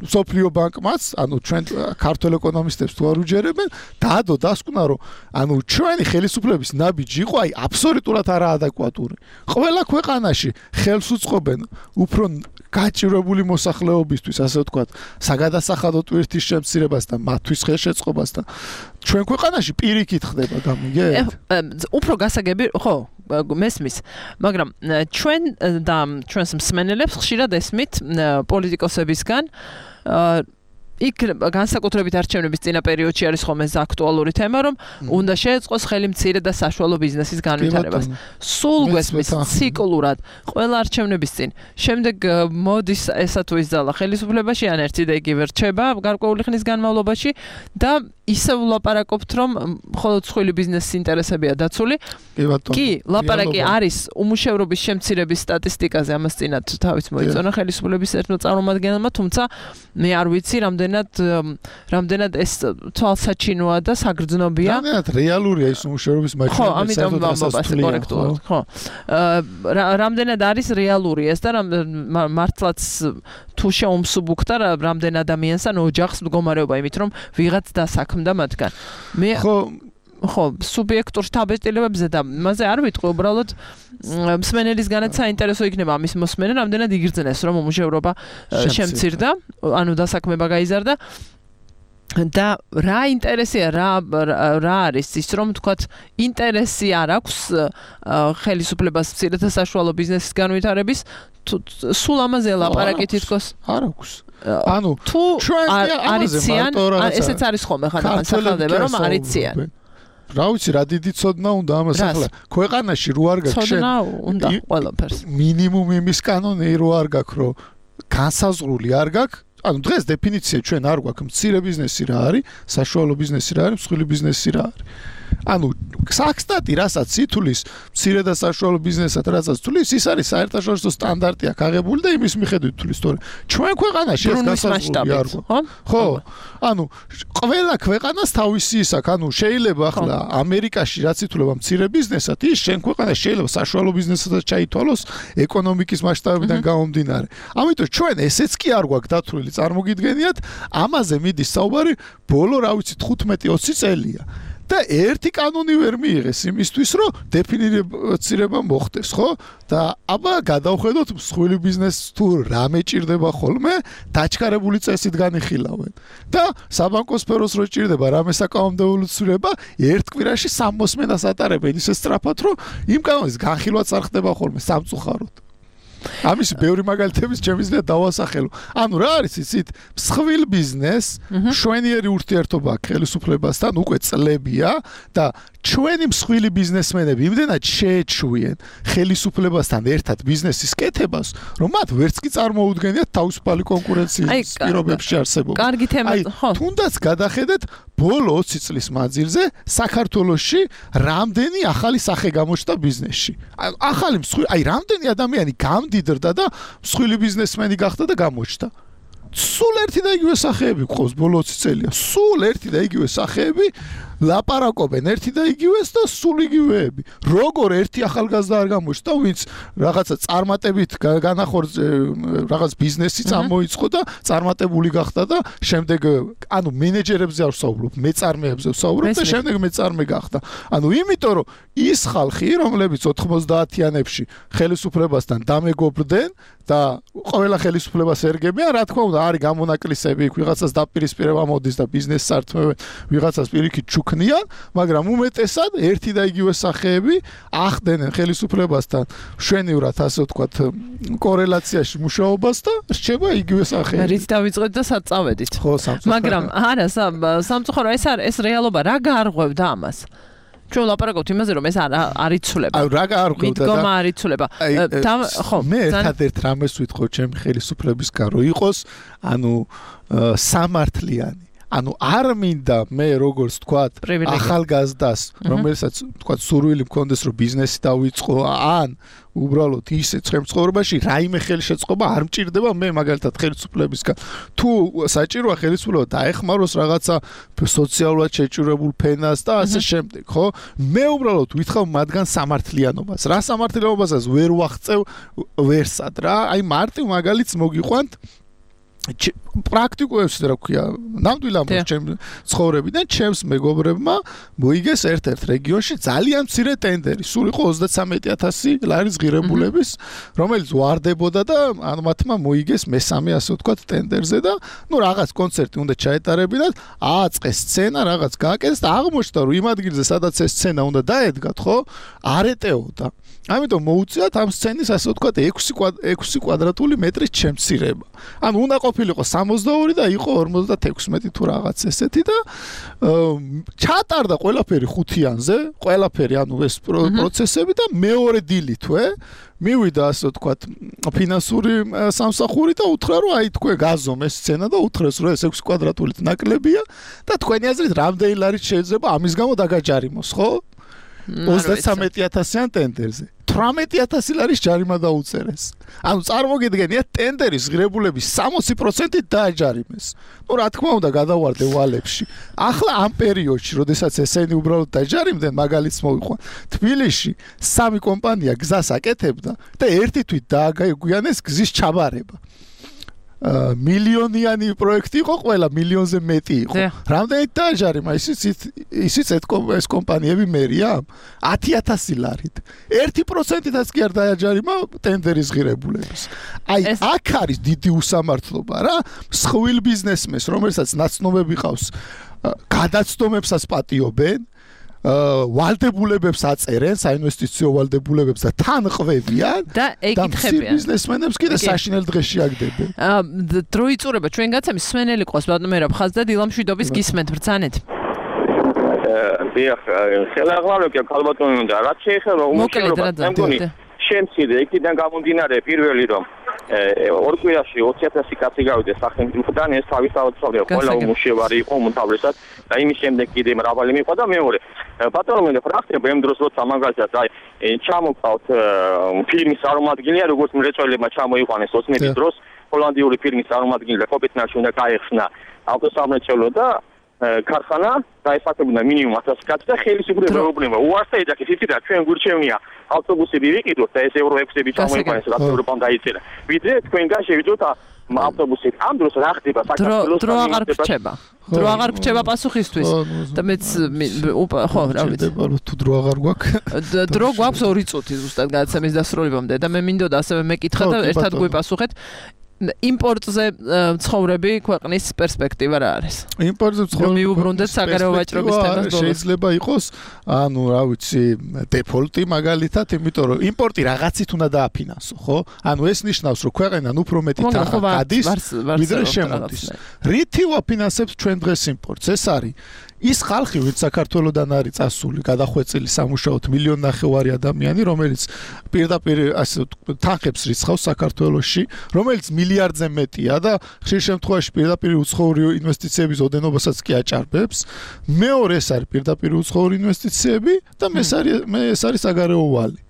სოფლიო ბანკმაც, ანუ ჩვენ ქართულ ეკონომისტებს თუ არ უჯერებენ, დადო დასკვნა, რომ ანუ ჩვენი ხელისუფლების ნაბიჯი იყო აი აბსოლუტურად არაადეკვატური. ყველა ქვეყანაში ხელს უწყობენ უფრო გაჭირვებული მოსახლეობისთვის, ასე ვთქვათ, საგადასახადო ტვირთის შემცირებასთან, მათთვის ხელშეწყობასთან. ჩვენ ქვეყანაში პირიქით ხდება, გამიგეთ? უფრო გასაგები, ხო, მესმის, მაგრამ ჩვენ და ჩვენს მსმენელებს ხშირად ესმით პოლიტიკოსებისგან იქ განსაკუთრებით არჩევნების წინა პერიოდში არის ხოლმე ეს აქტუალური თემა, რომ უნდა შეეწყოს ხელი მცირე და საშუალო ბიზნესის განვითარებას. სულ გვესმის ციკლურად ყველა არჩევნების წინ. შემდეგ მოდის ესა თუ ის ძალა ხელისუფლებაში, ან ერთი და იგივე რჩება გარკვეული ხნის განმავლობაში და ისევ ვლაპარაკობთ, რომ მხოლოდ მსხვილი ბიზნესის ინტერესებია დაცული. კი, ლაპარაკი არის უმუშევრობის შემცირების სტატისტიკაზე, ამას წინათ თავის მოიწონა ხელისუფლების ერთმა წარმომადგენელმა, თუმცა მე არ ვიცი რამდენად რამდენად ეს თვალსაჩინოა და საგრძნობია. რამდენად რეალურია ის უმუშევრობის მაჩვენებელი. ხო, ამიტომ ვამბობ კორექტულად, ხო. რამდენად არის რეალური ეს და მართლაც თუ შეუმსუბუქდა რამდენ ადამიანსთან ოჯახს მდგომარეობა, იმით რომ ვიღაც დასაქმდა მათგან. მე ხო ხო, სუბიექტურ შთაბეჭდილებებზე და მასე არ ვიტყვი, უბრალოდ მსმენელისგანაც საინტერესო იქნება ამის მოსმენა, რამდენად იგრძნეს რომ უმუშევრობა შემცირდა, ანუ დასაქმება გაიზარდა. და რა ინტერესია, რა რა არის ის, რომ თქვათ ინტერესი არ აქვს ხელისუფლებას მცირე და საშუალო ბიზნესის განვითარების, სულ ამაზე ლაპარაკი თითქოს არ აქვს. ანუ თუ არიციან, ესეც არის ხოლმე ხანდახან სახელდება, რომ არიციან. რა ვიცი, რა დიდი ცოდნა უნდა ამას ახლა ქვეყანაში რო არ გაქვს ცოდნა უნდა ყველაფერს. მინიმუმ იმის კანონი რო არ გაქვს, რომ განსაზღვრული არ გაქვს. ანუ დღეს დეფინიცია ჩვენ არ გვაქვს მცირე ბიზნესი რა არის, საშუალო ბიზნესი რა არის, მსხვილი ბიზნესი რა არის. ანუ საქსტატი რასაც ითulis მცირე და საშუალო ბიზნესად რასაც თulis, ის არის საერთაშორისო სტანდარტი აქ აღებული და იმის მიხედვით თulis, თორე ჩვენ ქვეყანაში ეს განსაზღვრული არ გვაქვს. ხო? ანუ ყველა ქვეყანას თავისი ის აქვს, ანუ შეიძლება ახლა ამერიკაში რაც ითulება მცირე ბიზნესად, ის ჩვენ ქვეყანაში შეიძლება საშუალო ბიზნესადაც ჩაითვალოს ეკონომიკის მასშტაბიდან გამომდინარე. ამიტომ ჩვენ ესეც კი არ გვაქვს დათვლილი, წარმოგიდგენიათ, ამაზე მიდის საუბარი ბოლო რა ვიცი თხუთმეტი ოცი წელია. და ერთი კანონი ვერ მიიღეს იმისთვის, რომ დეფინირება მოხდეს, ხო? და აბა გადავხედოთ მსხვილი ბიზნესს თუ რამე ჭირდება ხოლმე, დაჩქარებული წესით განიხილავენ. და საბანკო სფეროს რო ჭირდება რამე საკანონმდებლო ცვლილება, ერთ კვირაში სამოსმენას ატარებენ ისე სწრაფად, რომ იმ კანონის განხილვაც არ ხდება ხოლმე სამწუხაროდ. ამის ბევრი მაგალითების შემიძლია დავასახელო. ანუ რა არის იცით? მსხვილ ბიზნესს შვენიერი ურთიერთობა აქვს ხელისუფლებასთან უკვე წლებია და ჩვენი მსხვილი ბიზნესმენები იმდენად შეეჩვიან ხელისუფლებასთან ერთად ბიზნესის კეთებას, რომ მათ ვერც კი წარმოუდგენიათ თავისუფალი კონკურენციის პირობებში არსებობა. კარგი თემა, ხო. თუნდაც გადახედეთ ბოლო ოცი წლის მანძილზე საქართველოში რამდენი ახალი სახე გამოჩნდა ბიზნესში. ახალი მსხვილი, აი რამდენი ადამიანი გამდიდრდა და მსხვილი ბიზნესმენი გახდა და გამოჩნდა. სულ ერთი და იგივე სახეები ყავს ბოლო ოცი წელია. სულ ერთი და იგივე სახეები ლაპარაკობენ ერთი და იგივეს და სულ იგივეები. როგორ ერთი ახალგაზრდა არ გამოჩნდა, ვინც რაღაცა წარმატებით განახორციელა რაღაც ბიზნესი წამოიწყო და წარმატებული გახდა და შემდეგ ანუ მენეჯერებზე არ ვსაუბრობ, მეწარმეებზე ვსაუბრობ და შემდეგ მეწარმე გახდა. ანუ იმიტომ რომ ის ხალხი, რომლებიც ოთხმოცდაათიანებში ხელისუფლებასთან დამეგობრდნენ და ყველა ხელისუფლებას ერგებიან, რა თქმა უნდა, არის გამონაკლისები, ვიღაცას დაპირისპირება მოდის და ბიზნესს ართმევენ, ვიღაცას პირიქით ჩუქნიან, მაგრამ უმეტესად ერთი და იგივე სახეები ახდენენ ხელისუფლებასთან შვენივრად, ასე ვთქვათ, კორელაციაში მუშაობას და რჩება იგივე სახეები. რით დავიწყეთ და სად წავედით. ხო, სამწუხაროდ. მაგრამ არა, სამწუხაროდ ეს არის ეს რეალობა, რა გაარღვევდა ამას? ჩვენ ლაპარაკობთ იმაზე, რომ ეს არ არიცულება. აი, რა გაარღვევდა და მიდგომა არიცულება. ხო, მე ერთადერთ რამეს ვიტყო ჩემი ხელისუფლებისგან, რომ იყოს, ანუ სამართლიანი. ანუ არ მინდა მე როგორც ვთქვათ ახალგაზრდას, რომელსაც ვთქვათ სურვილი მქონდეს რომ ბიზნესი დავიწყო, ან უბრალოდ ისე ცხოვრებაში რაიმე ხელშეწყობა არ მჭირდება მე მაგალითად ხელისუფლებისგან. თუ საჭიროა ხელისუფლება დაეხმაროს რაღაცა სოციალურად შეჭირებულ ფენას და ასე შემდეგ, ხო? მე უბრალოდ ვითხოვ მათგან სამართლიანობას. რა სამართლიანობასაც ვერ ვახწევ ვერსად რა. აი მარტივ მაგალითს მოგიყვანთ პრაქტიკულებს რა ქვია, ნამდვილად ჩემ ცხოვრებიდან ჩემს მეგობრებმა მოიგეს ერთ-ერთ რეგიონში ძალიან მცირე ტენდერი, სულ იყო ოცდათსამეტი ათასი ლარის ღირებულების, რომელიც ვარდებოდა და ანუ მათმა მოიგეს მესამე ასე ვთქვათ ტენდერზე და ნუ რაღაც კონცერტი უნდა ჩაეტარებინათ, ააწყეს სცენა, რაღაც გააკეთეს და აღმოჩნდა რომ იმ ადგილზე სადაც ეს სცენა უნდა დაედგათ, ხო, არ ეტეოდა. ამიტომ მოუწიათ ამ სცენის ასე ვთქვათ ექვსი კვადრატული მეტრის შემცირება. ანუ უნდა ყოფილიყო სამოცდაორი და იყო ორმოცდათექვსმეტი თუ რაღაც ესეთი და ჩატარდა ყველაფერი ხუთიანზე, ყველაფერი ანუ ეს პროცესები და მეორე დილითვე მივიდა ასე ვთქვათ ფინანსური სამსახური და უთხრა რომ აი თქვენ გაზომეს სცენა და უთხრეს რომ ეს ექვსი კვადრატულით ნაკლებია და თქვენი აზრით რამდენი ლარით შეიძლება ამის გამო დაგაჯარიმოს, ხო? ოცდათსამეტი ათასიან ტენდერზე. თვრამეტი ათასი ლარის ჯარიმა დაუწერეს. ანუ წარმოგიდგენიათ ტენდერის ღირებულების სამოცი პროცენტით დააჯარიმეს. ნუ რა თქმა უნდა გადავარდე ვალებში. ახლა ამ პერიოდში, როდესაც ესენი უბრალოდ დაჯარიმდნენ, მაგალითს მოვიყვან. თბილისში სამი კომპანია გზას აკეთებდა და ერთი თვით დააგაგვიანეს გზის ჩაბარება. მილიონიანი პროექტი იყო, ყველა მილიონზე მეტი იყო. რამდენით დააჯარიმა ისიც ისიც ეს კომპანიები მერია ათი ათასი ლარით. ერთი პროცენტითაც კი არ დააჯარიმა ტენდერის ღირებულების. აი აქ არის დიდი უსამართლობა რა, მსხვილ ბიზნესმენს, რომელსაც ნაცნობები ყავს, გადაცდომებსაც პატიობენ, ვალდებულებებს აწერენ, საინვესტიციო ვალდებულებებს და თან ყვევიან და ეკითხებიან. ბიზნესმენებს კიდე საშინელ დღეში აგდებენ. დრო იწურება ჩვენ გაცემის სვენელი ყავს ბატონო მერაბ ხაზ და დილამშვიდობის გისმენთ ბრძანეთ. დიახ, ხელაღმარებია ქალბატონი და რაც შეეხება უმუშევრობა, მე მგონი შემცირდა იქიდან გამომდინარე პირველი რომ ორ კვირაში ოცი ათასი კაცი გავიდეს სახელმწიფოდან, ეს თავისთავად სწავლია, ყველა უმუშევარი იყო უმთავრესად და იმის შემდეგ კიდე მრავალი მიყვა და მეორე ბატონო მე ფრაქცია იმ დროს როცა მაგალითად აი ჩამოყავთ ფილმის წარმომადგენელი, როგორც მრეწველებმა ჩამოიყვანეს ოცნების დროს ჰოლანდიური ფილმის წარმომადგენელი კოპიტნაში უნდა გაეხსნა ავტოსამრეწველო და ქარხანა დაესახებინა მინიმუმ ათასი კაცი და ხელისუფლება პრობლემა უარსა ეძახის იცით რა ჩვენ გურჩევნია ავტობუსები ვიყიდოთ და ეს ეურო ექვსები ჩამოიყვანეს რა ევროპამ დაიწერა ვიდრე თქვენგან შევიდოთ ავტობუსით ამ დროს რა ხდება საქართველოს დრო აღარ გრჩება დრო აღარ გრჩება პასუხისთვის და მეც ხო რა ვიცი თუ დრო აღარ გვაქვს დრო გვაქვს ორი წუთი ზუსტად გადაცემის დასრულებამდე და მე მინდოდა ასევე მეკითხა და ერთად გვიპასუხეთ იმპორტზე ცხოვრები ქვეყნის პერსპექტივა რა არის? იმპორტზე ცხოვრები მიუბრუნდეთ საგარეო ვაჭრობის თემას ბოლოს. შეიძლება იყოს, ანუ რა ვიცი, დეფოლტი მაგალითად, იმიტომ რომ იმპორტი რაღაცით უნდა დააფინანსო, ხო? ანუ ეს ნიშნავს, რომ ქვეყანან უფრო მეტი თანხა გადის, ვიდრე შემოდის. რითი ვაფინანსებთ ჩვენ დღეს იმპორტს? ეს არის ის ხალხი, ვინც საქართველოსდან არის წასული, გადახვეწილი სამუშაოდ მილიონი ნახევარი ადამიანი, რომელიც პირდაპირ ასე თანხებს რიცხავს საქართველოში, რომელიც მილიარდზე მეტია და ხშირ შემთხვევაში პირდაპირ უცხოური ინვესტიციების ოდენობასაც კი აჭარბებს. მეორე ეს არის პირდაპირ უცხოური ინვესტიციები და მე ეს არის საგარეო ვალი.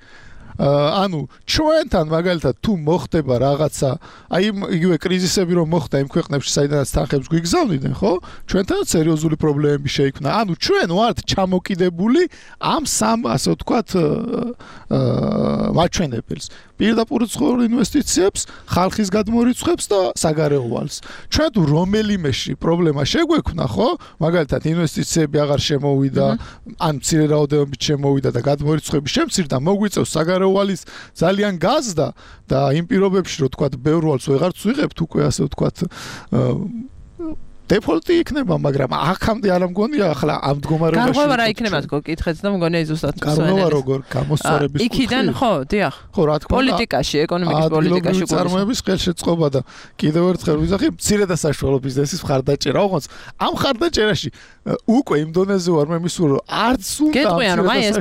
ანუ ჩვენთან მაგალითად თუ მოხდება რაღაცა, აი იგივე კრიზისები რომ მოხდა იმ ქვეყნებში, საიდანაც თანხებს გვიგზავნიდნენ, ხო? ჩვენთან სერიოზული პრობლემები შეიქმნა. ანუ ჩვენ ვართ ჩამოკიდებული ამ სამ ასე ვთქვათ მაჩვენებელს. პირდაპირ უცხოურ ინვესტიციებს, ხალხის გადმორიცხვებს და საგარეო ვალს. ჩვენ თუ რომელიმეში პრობლემა შეგვექმნა, ხო? მაგალითად ინვესტიციები აღარ შემოვიდა, ან მცირე რაოდენობით შემოვიდა და გადმორიცხვები შემცირდა, მოგვიწევს საგარეო ვალის ძალიან გაზდა და იმ პირობებში, რომ თქვათ, ბევრ ვალს ვეღარც ვიღებთ უკვე ასე ვთქვათ დეფოლტი იქნება, მაგრამ აქამდე არ მგონია ახლა ამ მდგომარეობაში. გარღვევა რა იქნება თქო, კითხეთ და მგონია ზუსტად გარღვევა როგორ გამოსწორების კუთხით. იქიდან ხო, დიახ. ხო, რა თქმა უნდა. პოლიტიკაში, ეკონომიკის პოლიტიკაში გულისხმობს. წარმოების ხელშეწყობა და კიდევ ერთხელ ვიზახი, მცირე და საშუალო ბიზნესის მხარდაჭერა, ოღონდ ამ მხარდაჭერაში უკვე იმ დონეზე ვარ მე მისულ, რომ არც უნდა გეტყვიან, რომ აი ეს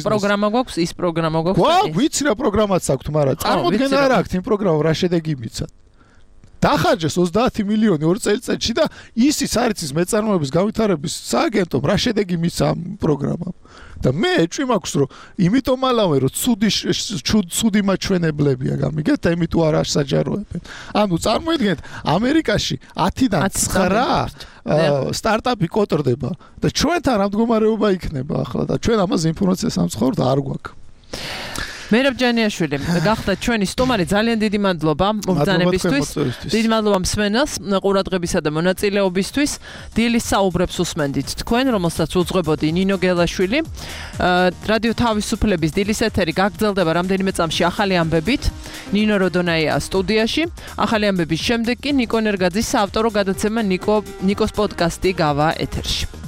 პროგრამა გვაქვს, ის პროგრამა გვაქვს. გვაქვს, ვიცი რა პროგრამაც აქვს, მაგრამ წარმოდგენა არ აქვს იმ პროგრამამ რა შედეგი მიცად. დახარჯეს ოცდაათი მილიონი ორ წელიწადში და ისიც არის ის მეწარმოების გავითარების სააგენტომ რა შედეგი მიცა ამ პროგრამამ. და მე ეჭვი მაქვს რომ იმიტომ ალავე რომ ცუდი ცუდი მაჩვენებლებია გამიგეთ და იმიტომ არ ასაჯაროებენ. ანუ წარმოიდგინეთ ამერიკაში ათიდან ცხრა სტარტაპი კოტრდება და ჩვენთან რა მდგომარეობა იქნება ახლა და ჩვენ ამაზე ინფორმაციას ამცხოვრთ არ გვაქვს. მერაბ ჯანიაშვილი, გახდა ჩვენი სტუმარი, ძალიან დიდი მადლობა მობრძანებისთვის. დიდი მადლობა მსმენელს ყურადღებისა და მონაწილეობისთვის. დილის საუბრებს უსმენდით თქვენ, რომელსაც უძღვებოდი ნინო გელაშვილი. რადიო თავისუფლების დილის ეთერი გაგრძელდება რამდენიმე წამში ახალი ამბებით. ნინო როდონაია სტუდიაში. ახალი ამბების შემდეგ კი ნიკო ნერგაძის საავტორო გადაცემა ნიკო ნიკოს პოდკასტი გავა ეთერში.